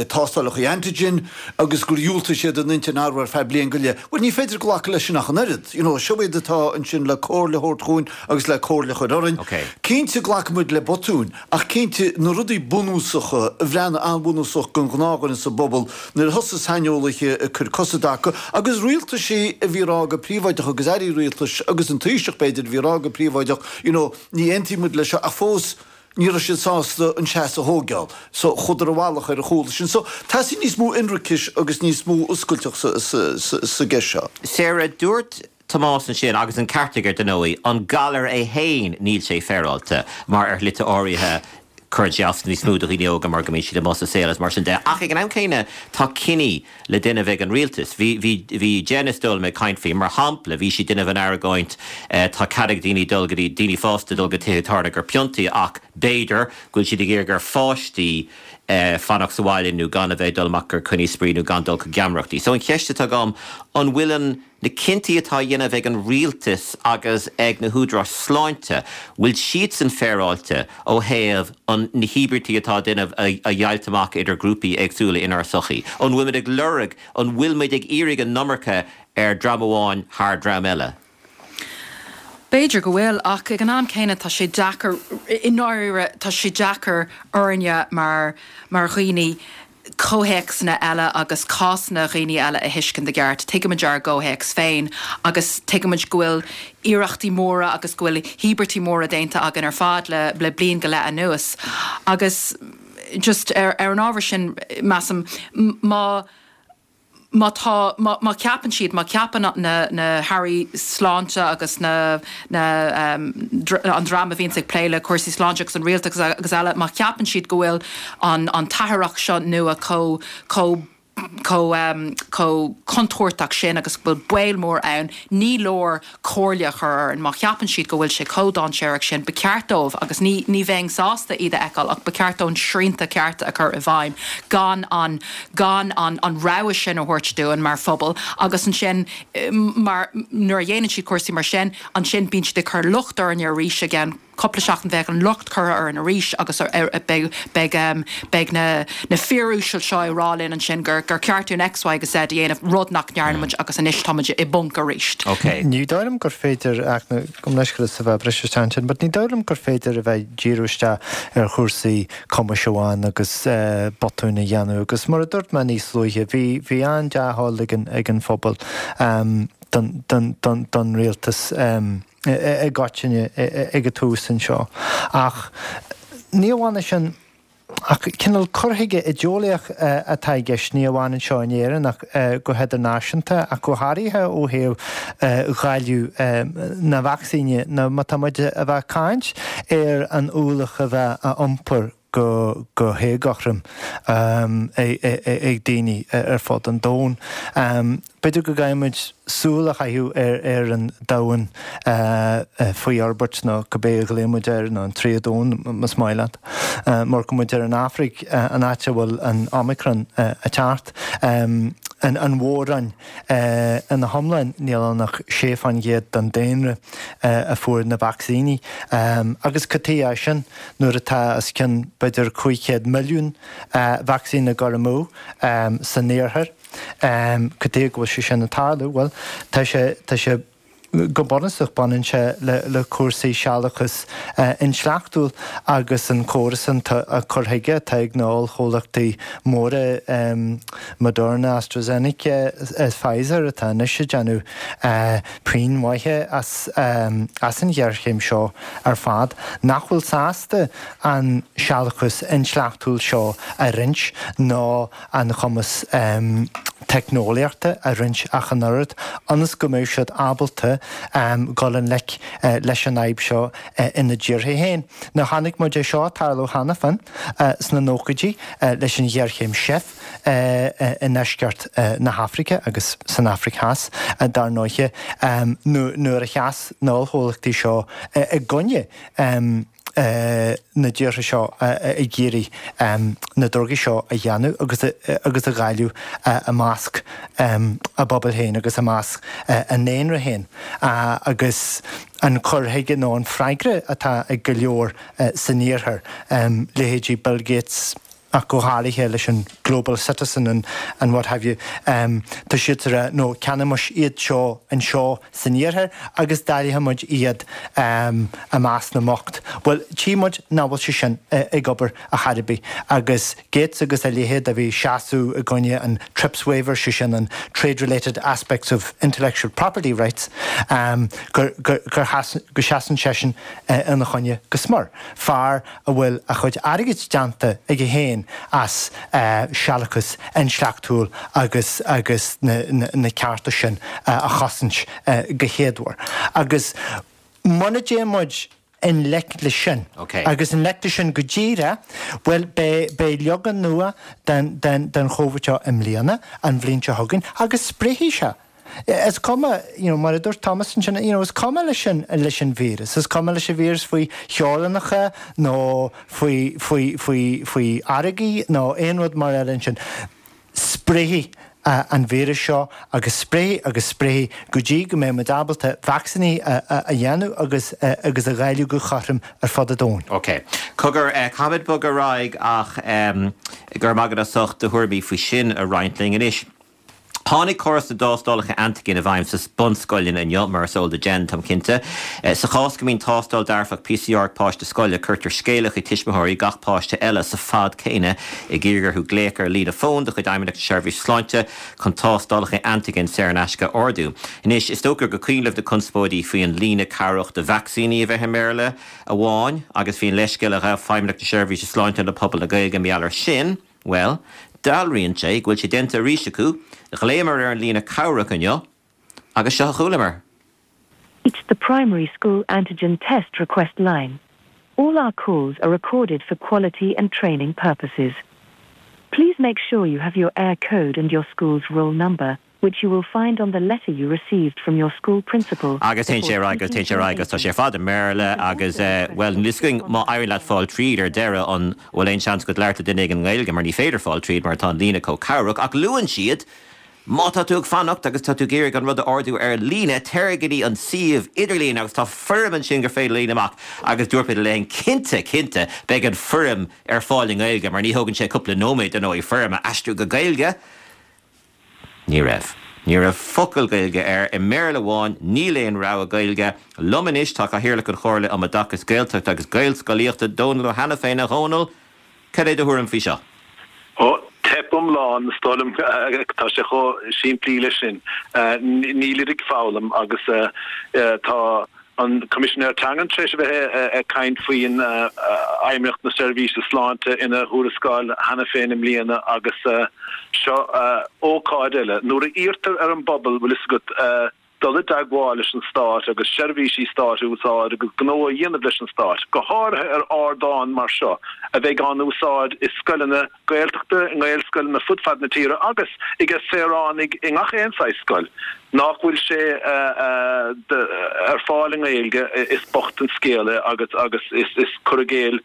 tástálacha antigen agus gur dhiúltaigh siad a n-intinn a athrú ar feadh bliain go leith, bhuel, ní féidir glacadh leis sin ach an oiread. You know, seo iad atá ansin le comhairle a thabhairt dhúinn agus le comhairle a chur orainn. Cinnte, glacfaidh muid le botúin, ach cinnte, na rudaí bunúsacha, a bhreathnaigh an-bhunúsach don ghnáthdhuine sa bpobal, nuair a thosaigh saineolaithe ag cur cosa i dtaca, agus rialtaisí a bhí ag rá go príobháideach agus airí rialtais agus an Taoiseach b'fhéidir a bhí ag rá go príobháideach you know ní aontaíonn muid leis seo ach fós ní raibh siad sásta an seasamh a thógáil so chuadar i bhfalach ar a chúl sin. So teastaíonn níos mó ionracais agus níos mó oscailteacht sa sa sa sa gceist seo. Sarah, dúirt Tomás ansin, agus an ceart aige dar ndóigh, an galar é féin níl sé féaráilte mar ar shlite áirithe cuireann sé as níos mó do dhaoine óga mar go mbíonn siad amuigh sa saol is mar sin de. Ach ag an am céanna tá cinní le déanamh ag an rialtas. Bhí, bhí, bhí Jen is dóigh liom ag caint faoi, mar shampla, bhí sí ag déanamh an argóint tá cead ag daoine dul go dtí, daoine fásta dul go tithe tábhairne ag piontaí ach b'fhéidir go bhfuil siad ag iarraidh ar pháistí fanacht sa bhaile nó gan a bheith ag dul amach gur coinní spraoi nó gan dul chuig geamaireachtaí. So an cheist atá agam, an bhfuil an, na cinntí atá á dhéanamh ag an rialtas agus ag na húdaráis sláinte, bhfuil siadsan féaráilte ó thaobh an, na híobairtí atá á déanamh a, a dheighilt amach idir grúpaí éagsúla inár sochaí? An bhfuil muid ag lorg, an bhfuil muid ag iarraidh an iomarca ar dream amháin thar dream eile? B'fhéidir go bhfuil, ach ag an am céanna tá sé deacair, i ndáiríre, tá sé deacair orainne mar, mar dhaoine comhthéacsanna eile agus cásanna dhaoine eile a thuiscint i gceart. Tuigimid ár gcomhthéacs féin agus tuigimid go bhfuil iarrachtaí móra agus go bhfuil íobairtí móra déanta againn ar fad le, le bliain go leith anuas. Agus just ar, ar an ábhar sin, measaim, má, má tá, má, má cheapann siad, má cheapann na, na hairí sláinte agus na, na, an dream a bhíonns ag plé le cúrsaí sláinte agus an rialtas agus eile, má cheapann siad go bhfuil an, an t-athraitheach seo nua chomh, chomh, chomh, chomh contúirteach sin agus go bhfuil baol mór ann, ní leor comhairle a chur orainn. Má cheapann siad go bhfuil sé chomh dainséarach sin, ba cheart dóibh, agus ní, ní bheinn sásta iad a fheiceáil, ach ba cheart dóibh srianta cearta a chur i bhfeidhm, gan an, gan an, an rogha sin a thabhairt dúinn mar phobal. Agus ansin, mar, nuair a dhéanann siad cúrsaí mar sin, ansin bíonn siad ag cur locht orainne arís i gceann cúpla seachtain bheadh an locht curtha orainn arís agus beidh, beidh, beidh na, na fir uaisle seo ag rá linn ansin gur, gur ceart dúinn X, Y agus Z a dhéanamh, rud nach ndearna muid agus anois tá muid i bponc arís. Ok. Ní dóigh liom gur féidir, ach gabh mo leithscéal as a bheith ag briseadh isteach ansin, but ní dóigh liom gur féidir a bheith ag díriú isteach ar chúrsaí cumais amháin agus botúin a dhéanamh agus mar a dúirt mé níos luaithe, bhí, bhí an-dea-thoil ag an, ag an phobal don, don, don, don rialtas i gcoitinne ag an tús anseo. Ach ní amháin é sin, Ach cineál cur chuige idéolaíoch atá i gceist, ní amháin anseo in Éirinn ach go hidirnáisiúnta, ach go háirithe ó thaobh dháileadh na vacsaíne nó má tá muid a bheith ag caint ar an ualach a bheith á iompar go go héagothrom ag daoine ar fud an domhain. B'fhéidir go gcaithfidh muid súil a chaitheamh ar ar an domhan faoi fhorbairt nó cibé a ghlaonn muid air, nó an tríú domhan más maith leat. Má amharcann muid ar an Afraic, an áit a bhfuil an Omicron ag teacht, an an mhór-roinn ina hiomlán, níl ann ach sé fán gcéad den daonra a fuair na vacsaíní. Agus cad chuige é sin nuair atá os cionn b'fhéidir cúig chéad milliún vacsaín ag dul amú san iarthar? Cad chuige go bhfuil sé sin ag tarlú? Bhuel, tá sé, tá sé, go bunúsach baineann sé le, le cúrsaí sealúchas intleachtúil agus an córas an cur chuige atá ag na ollchomhlachtaí móra Moderna, AstraZeneca is Pfizer atá anois ag déanamh puinn mhaithe as, as an ghéarchéim seo ar fad, nach bhfuil sásta an sealúchas intleachtúil seo a roinnt ná an cumas teicneolaíochta a roinnt ach an oiread, ionas go mbeidh siad ábalta dul i ngleic leis an fhadhb seo ina dtíortha féin. Now chonaic muid é seo ag tarlú cheana féin sna nóchaidí leis an ghéarchéim seif i ndeisceart na hAfraice agus san Afraic Theas, dar ndóiche, nuair a sheas na hollchomhlachtaí seo i gcoinne na dtíortha seo ag iarraidh na drugaí seo a dhéanamh agus agus a dháileadh i measc a bpobail féin agus i measc a ndaonra féin agus an cur chuige nó an freagra atá ag go leor san iarthar, leithéidí Bill Gates, ach go háirithe leis an Global Citizen and and what have you, tá siad ag rá no ceannóimis iad seo anseo san iarthar agus dáilfidh muid iad i measc na mbocht. Bhuel, tchí muid nach bhfuil sé sin ag obair ar chor ar bith agus Gates agus a leithéid a bhí ag seasamh i gcoinne an TRIPS waiver, sé sin an Trade Related Aspects of Intellectual Property Rights, gur gur gur go seasann seisean ina choinne go smior. Fear a bhfuil a chuid airgid déanta aige féin as sealúchas intleachtúil agus agus na cearta sin a chosaint go héadmhar. Agus muna dtéann muid i ngleic leis sin, agus i ngleic leis sin go díreach, bhuel, beidh leagan nua den Chóivid seo i mbliana, an bhliain seo chugainn, agus spréifidh sé. Is cuma, you know, mar a dúirt Thomas ansin, you know, is cuma leis an, leis an víreas, is cuma leis an víreas faoi theorainneacha nó faoi, faoi, faoi, faoi fharraigí nó aon rud mar eile ansin. Spréifidh an víreas seo agus spréifidh agus spréifidh go dtí go mbeidh muid ábalta vacsaíní a, a, a dhéanamh agus, agus a dháileadh go cothrom ar fud an domhain. Ok. Cogar, caithfimid bogadh ar aghaidh ach go raibh maith agat as ucht do thuairimí faoi sin a roinnt linn anois. Tháinig córas na dtástálacha antaigin i bhfeidhm sna bunscoileanna inniu, mar is eol do Jen, táim cinnte. Sa chás go mbíonn tástáil dearfach PCR ag páiste scoile, cuirtear scéala chuig tuismitheoirí gach páiste eile sa fad céanna ag iarraidh orthu glaoch ar líne fóin de chuid Fheidhmeannacht na Seirbhíse Sláinte chun tástálacha antaigin saor in aisce a ordú. Anois, is dócha gur cuimhin libh na conspóidí faoi an líne cabhrach do vacsaíní a bheith i mBéarla amháin agus faoin leithscéal a ghabh Feidhmeannacht na Seirbhíse Sláinte le pobal na Gaeilge mar gheall air sin. Bhuel, dealraíonn sé go bhfuil sé déanta arís acu, ghlaomar ar an líne cabhrach inniu agus seo a chualamar. It's the primary school antigen test request line. All our calls are recorded for quality and training purposes. Please make sure you have your Eircode and your school's roll number, which you will find on the letter you received from your school principal. Agus téann sé ar aghaidh agus téann sé ar aghaidh agus tá sé ar fad i mBéarla agus, bhuel, níl 'fhios againn má éiríonn leat fáil tríd ar deireadh an bhfuil aon seans agat labhairt le duine éigin i nGaeilge mar ní féidir fáil tríd mar tá an líne chomh cabhrach ach luann siad má tá tú ag fanacht agus tá tú ag iarraidh an rud a ordú ar líne téir go dtí an suíomh idirlín agus tá foirm ansin gur féidir líonadh amach agus dúirt mé léi cinnte cinnte beidh an foirm ar fáil i nGaeilge mar ní thógann sé cúpla nóiméad ar ndóigh foirm a aistriú go Gaeilge. Ní raibh. Ní raibh focal Gaeilge air. I mBéarla amháin, níl aon rogha Gaeilge. Liom anois tá Cathaoirleach an Chomhairle um Oideachas Gaeltachta agus Gaelscolaíochta, Dónal Ó hAiniféin. A Dhónaill, cad é do thuairim faoi seo? Ó, teip iomlán, is dóigh liom. Tá sé chomh simplí leis sin. Nílid ag foghlaim agus tá. an Coimisinéir Teangan tar éis a bheith ag caint faoin Fheidhmeannacht na Seirbhíse Sláinte ina thuarascáil cheana féin i mbliana agus seo ócáid eile nuair a iarrtar ar an bpobal bhfuil fhios agat dul i dteagmháil leis an Stát agus seirbhísí stáit a úsáid agus gnó a dhéanamh leis an Stát, go háirithe ar ardán mar seo a bheidh á n-úsáid i scoileanna Gaeltachta, i nGaelscoileanna fud fad na tíre agus ag saoránaigh i ngach aon saghas scoil nach bhfuil sé ar fáil i nGaeilge, is bocht an scéal é agus agus is cur i gcéill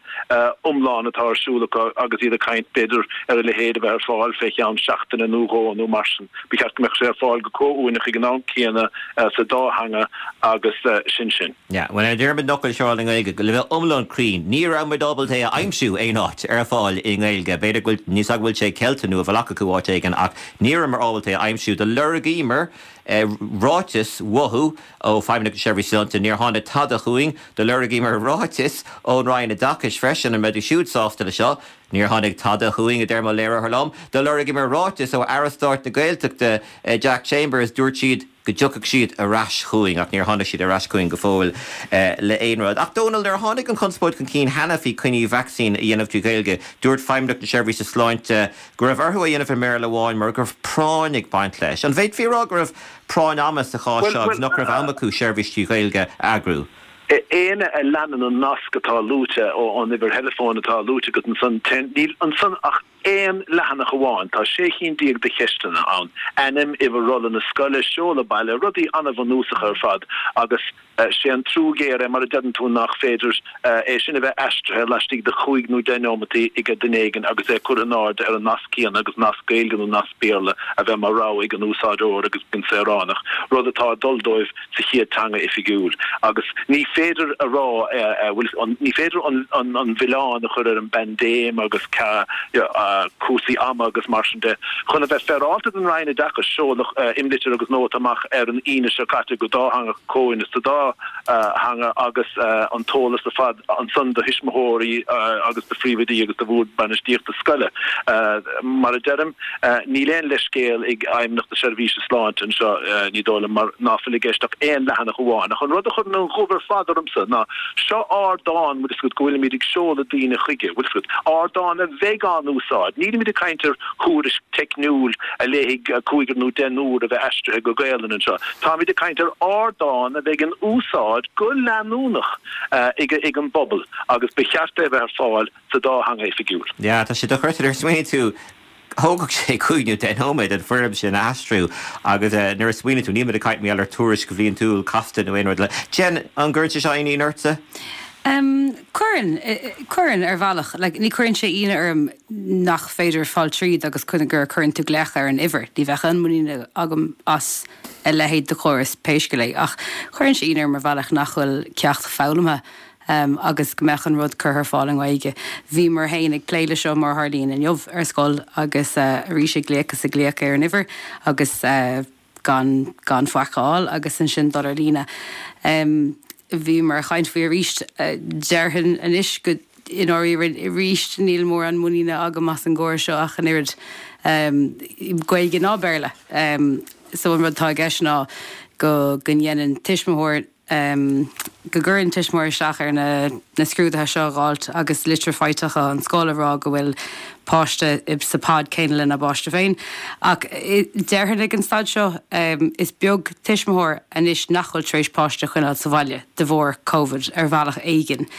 iomlán atá ar siúl acu agus iad ag caint b'fhéidir ar a leithéid a bheith ar fáil fé cheann seachtaine nó dhó nó mar sin. Ba cheart go mbeadh sé ar fáil go comhuaineach ag an am céanna sa dá theanga agus sin sin. Yeah, bhuel ar Diarmuid an fhocal seo i nGaeilge, le bheith iomlán cruinn, ní raibh muid ábalta é a aimsiú aon áit ar fáil i nGaeilge. B'fhéidir go bhfuil, níl 's agam bhfuil sé ceilte nó a bhfuil acu áit éigin ach ní rabhamar ábalta é a aimsiú. Do lorgaíomar ráiteas uathu ó Feidhmeannacht na Seirbhíse Sláinte, níor tháinig tada chugainn. Do lorgaíomar ráiteas ón Roinn Oideachais freisin, an mbeidís siúd sásta le seo? Níor tháinig tada chugainn, a deir mo léiritheoir liom. Do lorgaíomar ráiteas ó Aire Stáit na Gaeltachta, Jack Chambers, dúirt siad go dtiocfadh siad ar ais chugainn, ach níor tháinig siad ar ais chugainn go fóill le aon rud. Ach Dónal, nuair a tháinig an chonspóid chun cinn cheana faoi coinní vacsaín a dhéanamh trí Ghaeilge, dúirt Feidhmeannacht na Seirbhíse Sláinte go raibh orthu é a dhéanamh i mBéarla amháin mar go raibh práinn ag baint leis. An bhféadfaí a rá go raibh práinn ama sa chás seo agus nach raibh am acu seirbhís trí Ghaeilge a eagrú? Éinne a leanann an nasc atá luaite ó an uimhir theileafóin atá luaite agat ansan, níl ansan ach aon leathanach amháin. Tá sé chinn déag de cheisteanna ann, ainm, uimhir rolla na scoile, seoladh baile, rudaí an-bhunúsacha ar fad agus sé an trua géar é mar a deireann tú nach féidir é sin a bheith aistrithe laistigh de chúig nó deich neomataí ag duine éigin agus é curtha in airde ar an nasc céanna agus nasc Gaeilge nó nasc Béarla a bheith mar rogha ag an úsáideoir agus ag an saoránach, rud atá ag dul dóibh sa chéad teanga oifigiúil. Agus ní féidir a rá, bhuel, ní féidir an milleán a chur ar an bpaindéim agus cúrsaí ama agus mar sin de. Chun a bheith féaráilte don Roinn Oideachais, seoladh imlitir agus nóta amach ar an Aoine seo caite go dátheangach comhuaineach sa dá theanga agus an t-eolas ar fad ansan do thuismitheoirí agus do phríomhoidí agus do bhord bainistíochta scoile. Mar a deirim, níl aon leithscéal ag Fheidhmeannacht na Seirbhíse Sláinte anseo, ní dóigh liom, mar ná fuil i gceist ach aon leathanach amháin. Ach an rud a chuireann an ghoimh ar fad ormsa ná, seo ardán, bhfuil fhios agat, go bhfuilimid ag seoladh daoine chuige, bhfuil fhios agat, ardán a bheidh á n-úsáid. Nílimid ag caint ar thuairisc teicniúil a léifidh cúigear nó deichniúr a bheith aistrithe go Gaelainn anseo. Táimid ag caint ar ardán a bheidh in úsáid go leanúnach ag an bpobal agus ba cheart é a bheith ar fáil sa dá theanga oifigiúil. Yeah, tá sé dochreidte nuair a smaoiníonn tú, thógfadh sé cúig nó deich nóiméad an foirm sin a aistriú agus nuair a smaoiníonn tú, níl muid ag caint mar gheall ar tuairisc bhliantúil casta nó aon rud eile. Jen, an gcuireann sé seo aon ionadh ortsa? Um, cuireann, cuireann ar bhealach. Like, ní cuireann sé ionadh orm nach féidir fáil tríd agus gur cuireann tú glaoch ar an uimhir. Ní bheadh aon muinín agam as a leithéid de chóras pé scéal é. Ach cuireann sé ionadh orm ar bhealach nach bhfuil ceacht foghlamtha um, agus go mbeadh an rud curtha ar fáil i nGaeilge. Bhíomar féin ag plé le seo mar a tharlaíonn inniu ar scoil agus uh, arís ag glaoch is ag glaoch ar an uimhir agus uh, gan, gan faic a fháil agus ansin dul ar líne. Um, bhíomar ag caint faoi arís uh, déarfainn anois go i ndáiríre arís níl mórán muiníne agam as an gcóras seo ach an oiread um, Gaeilge ná Béarla. Um, so an rud atá i gceist ná go go ndéanann tuismitheoir um, go gcuireann tuismitheoir isteach ar na, na scrúduithe seo a dh'fháilt agus litir faighte ón scoil ag rá go bhfuil páiste sa pod céanna lena bpáiste féin. Ach déarfainn ag an staid seo um, is beag tuismitheoir anois nach bhfuil tar éis páiste a choinneáil sa bhaile de bharr Covid ar bhealach éigin.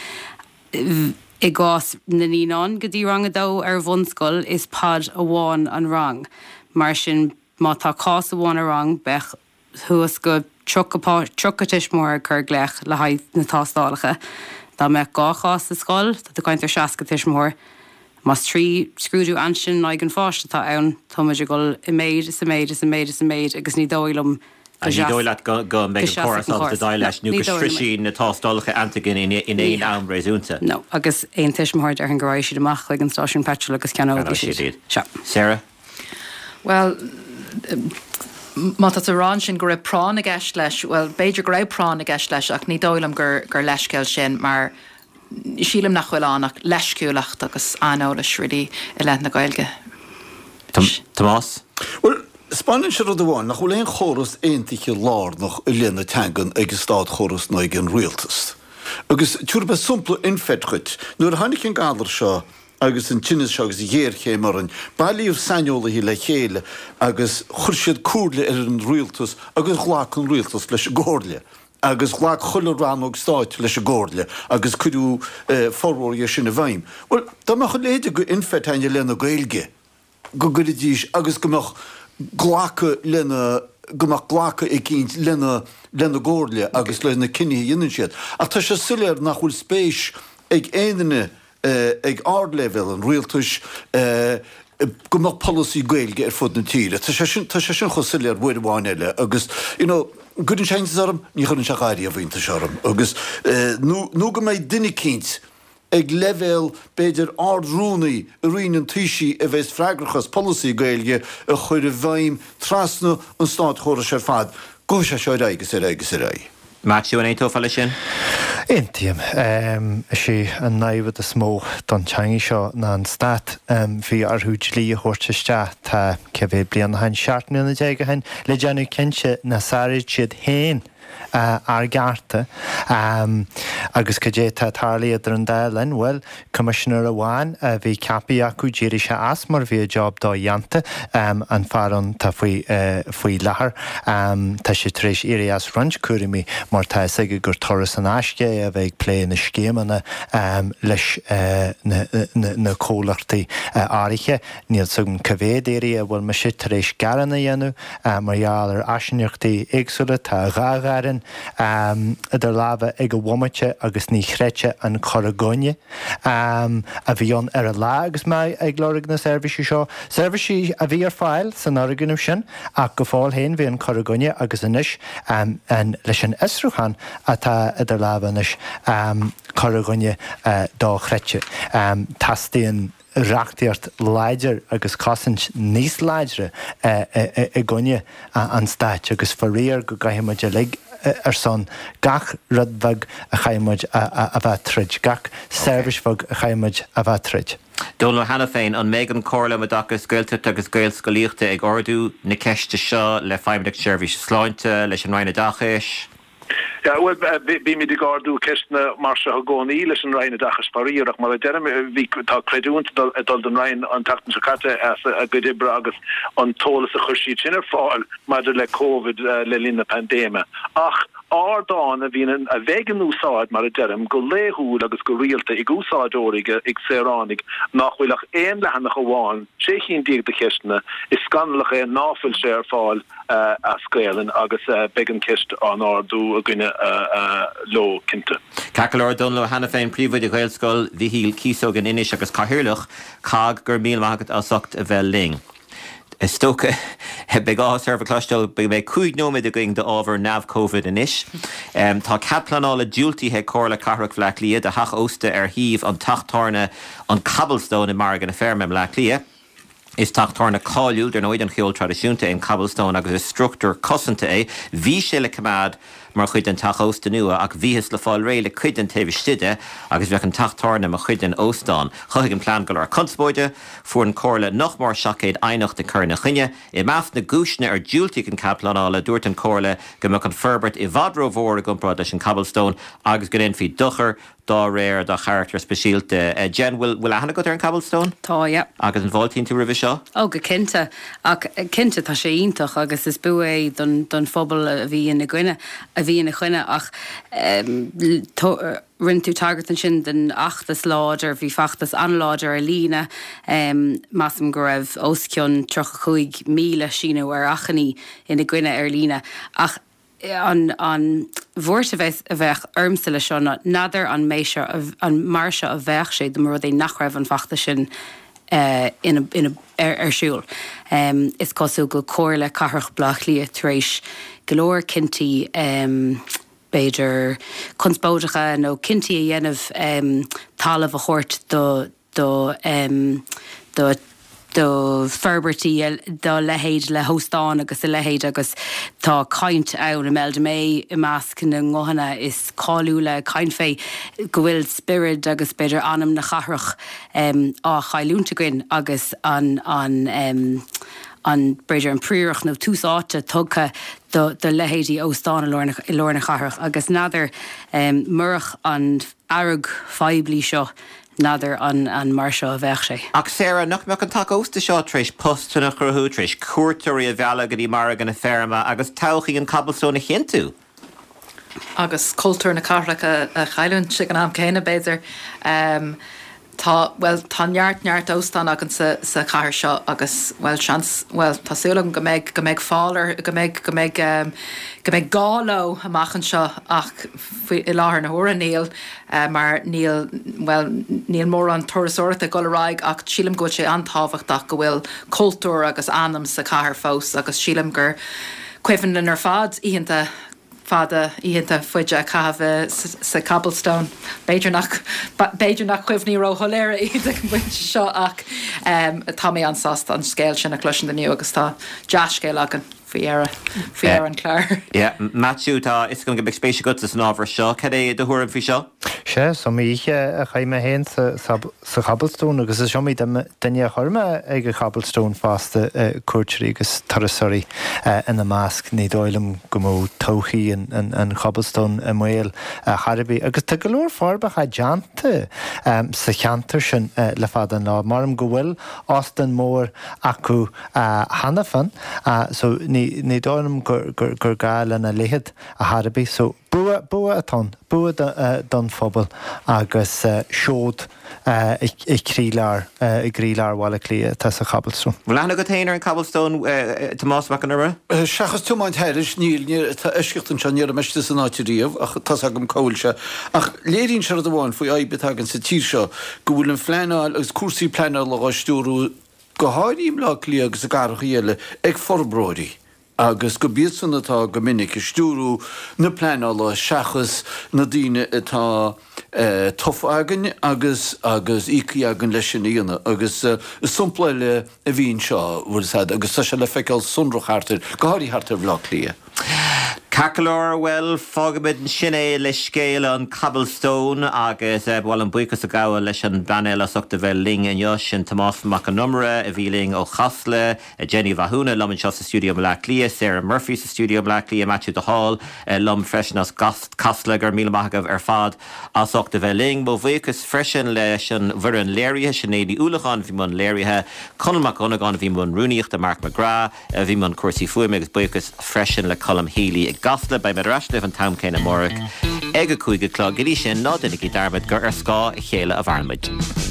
I gcás na naíonán go dtí rang a dó ar bhunscoil is pod amháin an rang. Mar sin má tá cás amháin i rang beidh suas go tríocha tuismitheoir ag cur glaoch le haghaidh na tástálacha. Dá mbeadh dhá chás sa scoil, tá tú ag caint ar seasca tuismitheoir. Más trí scrúdú antigen in aghaidh an pháiste atá ann, táimid ag dul i méid is i méid is i méid is i méid agus ní dóigh liom go Ní dóigh leat go mbeidh an córas ábalta déileáil leis nó go sroisfidh na tástálacha antigen in aon am réasúnta. No, agus aon tuismitheoir déarfainn go raghaidh siad amach chuig an stáisiún peitril agus ceannóidh siad iad. Sea. Sarah? Bhuel, má tá tú ag rá ansin go raibh práinn i gceist leis, bhuel, b'fhéidir go raibh práinn i gceist leis ach ní dóigh liom gur, gur leithscéal sin mar sílim nach bhfuil ann ach leisciúlacht agus aineolas really i leith na Gaeilge. Tomás? Bhuel, 'Spáineann sé rud amháin, nach bhfuil aon chóras aontaithe lárnach i leith na teangan ag an státchóras ná ag an rialtas. Agus tabharfaidh mé sampla INFeT dhuit. Nuair a tháinig an galar seo agus an tinneas seo agus an ghéarchéim orainn, bailíodh saineolaithe le chéile agus chuir siad comhairle ar an rialtas agus ghlac an rialtas leis an gcomhairle. Agus ghlac chuile rannóg stáit leis an gcomhairle agus cuireadh formhór dhe sin i bhfeidhm. Bhuel, dá mbeadh a leithéid de INFeT againn i leith na Gaeilge, go gcuirfidís agus go mbeadh glacadh lena, go mbeadh glacadh eicínt lena, lena gcomhairle agus le na cinnithe a dhéanann siad. Ach tá sé soiléir nach bhfuil spéis ag aon duine ag ardleibhéal an rialtais go mbeadh polasaí Gaeilge ar fud na tíre. Tá sé sin, tá sé sin chomh soiléir uair amháin eile agus, you know, an gcuireann sé iontas orm? Ní chuireann sé ariamh iontas orm agus nó, nó go mbeidh duine eicínt, ag leibhéal, b'fhéidir, Ard-Rúnaí i Roinn an Taoisigh a bheas freagrach as polasaí Gaeilge a chur i bhfeidhm trasna an státchórais ar fad. Gabhfaidh sé seo ar aghaidh agus ar aghaidh agus ar aghaidh. Maitiú, an aontófá leis sin? Aontaím. Is é an namhaid is mó don teangaidh seo ná an stát. Bhí orthu dlí a thabhairt isteach, tá cé mhéad bliain ó shin, seacht mbliana déag ó shin, le déanamh cinnte nach sáraíonn siad féin ár gcearta. Agus cad é atá tarlaithe idir an dá linn? Bhuel, coimisinéir amháin a bhí ceaptha acu, d'éirigh sé as mar bhí a job dodhéanta. An fear ann atá faoi faoi láthair, tá sé tar éis éirí as roinnt cúraimí mar tá fhios aige gur turas in aisce é a bheith ag plé na scéimeanna leis na comhlachtaí áirithe. Níl 's agam cá mhéad iarraidh a bhfuil mise tar éis gearán a dhéanamh mar gheall ar áisíneachtaí éagsúla. Tá dhá ghearán idir lámha ag an bhomaite agus ní chreidfeá an cur i gcoinne a bhí ann ar an lá agus mé ag lorg na seirbhísí seo. Seirbhísí a bhí ar fáil san fhoirgneamh sin ach go fóill féin bhí an cur i gcoinne agus anois leis an fhiosrúchán atá idir lámha anois, cur i gcoinne dochreidte. Teastaíonn reachtaíocht láidir agus cosaint níos láidre i gcoinne an stáit agus faraor go gcaithfidh muid uilig ar son gach rud bheag a chaithfidh muid a bheith tríd, gach seirbhís bheag a chaithfidh muid a bheith tríd. Dónal Ó hAiniféin, An mbeidh an Comhairle um Oideachas Gaeltachta agus Gaelscolaíochta ag ardú na ceiste seo le Feidhmeannacht Seirbhíse Sláinte, leis an Roinn Oideachais? Yeah, bhuel, bímid ag ardú ceisteanna mar seo i gcónaí leis an Roinn Oideachais faraor, ach mar a deirim, bhí, tá creidiúint ag dul don Roinn an tseachtain seo caite as a gcuid oibre agus an t-eolas a chuir siad sin ar fáil maidir le Covid le linn na paindéime. Ach ardán a bhíonn, a bheidh in úsáid, mar a deirim, go laethúil agus go rialta ag úsáideoirí, ag saoránaigh nach bhfuil ach aon leathanach amháin, sé chinn déag de cheisteanna, is scannalach é ná fuil sé ar fáil. as Gaelainn agus beidh an cheist á n-ardú againne leo, cinnte. Ceart go leor, Dónal Ó hAiniféin, Príomhoide Ghaelscoil Mhichíl Cíosóg in Inis agus Cathaoirleach COGG, go raibh míle maith agat as ucht a bheith linn. Is dócha, beidh áthas oraibh a chloisteáil go mbeidh cúig nóiméad againn d'ábhar neamh-Covid anois. Tá cead pleanála diúltaithe ag Comhairle Cathrach Bhaile Átha Cliath do theach ósta ar shuíomh an teach tábhairne an Cobblestone i Margadh na Feirme i mBleá Cliath. Is teach tábhairne cáiliúil, dar ndóigh, don cheol traidisiúnta é an Cobblestone agus is struchtúr cosanta é. Bhí sé le coimeád mar chuid den teach ósta nua ach bhíothas le fáil réidh le cuid den taobh istigh de agus bheadh an teach tábhairne mar chuid den óstán. Chothaigh an plean go leor conspóide. Fuair an Chomhairle nach mór seacht gcéad aighneacht ag cur ina choinne. I measc na gcúiseanna ar diúltaíodh an cead pleanála, dúirt an Chomhairle go mbeadh an forbairt i bhfad rómhór i gcomparáid leis an Cobblestone agus go ndéanfaí dochar dá réir dá charachtar speisialta. Jen, bhfuil bhfuil aithne agat ar an Cobblestone? Tá, yeah. Agus an bhfáiltíonn tú roimhe seo? Oh, go cinnte. Ach cinnte, tá sé iontach agus is bua é don don phobal a bhí ina gcoinne, a bhí ina choinne ach rinne tú tagairt ansin den fheachtas láidir, bhí feachtas an-láidir ar líne, measaim go raibh os cionn tríocha cúig míle síniú ar achainí ina gcoinne ar líne ach an an bhuairt a bheas a bheadh ormsa le seo ná n'fheadar an mbeidh seo an mar seo a bheadh sé dá mba rud é nach raibh an feachtas sin ina ina ar ar siúl. Is cosúil go Comhairle Cathrach Bhaile Átha Cliath tar éis go leor cinntí b'fhéidir conspóideacha nó cinntí a dhéanamh talamh a thabhairt do do do do forbairtí dá leithéid le hóstáin agus a leithéid agus tá caint ann Imelda May i measc na nguthanna is cáiliúla ag caint fé go bhfuil spiorad agus b'fhéidir anam na cathrach á chailliúint againn agus an an an b'fhéidir an príoracht nó tús áite tugtha do do leithéidí óstán i lár na i lár na cathrach agus n'fheadar um, murach an fhearg phoiblí seo n'fheadar an an mar seo a bheadh sé. Ach Sarah, nach mbeadh an teach ósta seo tar éis postanna a chruthú, tar éis cuairteoirí a mhealladh go dtí margadh na feirme agus todhchaí an Cobblestone a chinntiú? Agus cultúr na cathrach a a chailliúint ag an am céanna b'fhéidir. Um, Tá well tá neart neart óstán againn sa sa chathair seo agus well seans well tá súil agam go mbeidh go mbeidh fáil ar go mbeidh go mbeidh um, go mbeidh gá leo amach anseo ach faoi i láthair na huaire níl uh, mar níl well níl mórán turasóireachta ag dul ar aghaidh ach sílim go bhfuil sé an-tábhachtach go bhfuil cultúr agus anam sa chathair fós agus sílim gur cuimhin linn ar fad oícheanta fada oícheanta faide a chaitheamh sa Cobblestone. B'fhéidir nach b'fhéidir nach cuimhní róshoiléire iad ag an bpointe seo ach um, tá mé an-sásta an scéal sin a chloisint inniu agus tá dea-scéal againn faoi dheireadh faoi dheireadh an chláir. Yeah, Matthew tá is go mbeidh spéis agat san ábhar seo, cad é do thuairim faoi seo? Sé is iomaí oíche a chaith mé féin sa sa Cobblestone agus is iomaí duine a chuir mé ag an Cobblestone fosta cuairteoirí agus turasóirí ina measc. Ní dóigh liom go mbeadh todhchaí an Cobblestone i mbaol chor ar bith. Agus tá go leor forbartha déanta sa cheantar sin le fada an lá. Maram go bhfuil óstán mór acu cheana féin so ní ní dóigh liom gur gur gá lena leithéid chor ar bith. So bua bua atá ann, bua don phobal agus seod i gcroílár i gcroílár Bhaile Átha Cliath atá sa Cobblestone. Bhfuil aithne agat féin ar an Cobblestone, Tomás Mac Con Iomaire? Seachas tiomáint thairis, níl, níl, tá eisceacht anseo, ní raibh mé istigh san áit riamh ach tá's agam cá bhfuil sé. Ach léiríonn sé rud amháin faoi fhadhb atá againn sa tír seo, go bhfuil an phleanáil agus cúrsaí pleanála á stiúrú, go háirithe i mBleá Cliath agus i gcathracha eile, ag forbróirí agus gurb iadsan atá go minic ag stiúrú na pleanála seachas na daoine atá tofa againn agus agus íoctha againn leis sin a dhéanamh. Agus is sampla eile a bhí anseo, bhfuil 'fhios a'd, agus tá sé le feiceáil sonrach thart ar, go háirithe thart ar Bhleá Cliath. Ceart go leor, bhuel, fágfaimid ansin é le scéal an Cobblestone agus ba mhaith liom buíochas a ghabháil leis an bpainéal as ucht a bheith linn inniu, sin Tomás Mac Con Iomaire a bhí linn ó Chasla, Jenny Mhathúna liom anseo sa stiúideo i mBleá Cliath, Sarah Murphy sa stiúideo i mBleá Cliath, Matthew de Hál liom freisin as Casla. Go raibh míle maith agaibh ar fad as ucht a bheith linn. Mo bhuíochas freisin leis an bhfoireann léirithe, Sinéad Ní Uallacháin a bhí i mbun léirithe, Conall Mac Dhonnagáin a bhí i mbun rúnaíochta, Mark McGrath a bhí i mbun cúrsaí fuaime agus buíochas freisin le Colm Healy i gCasla. Beidh mé ar ais libh an t-am céanna amárach ag a cúig a chlog. Go dtí sin, ná déanaigí dearmad gur ar scáth a chéile a mhaireann muid.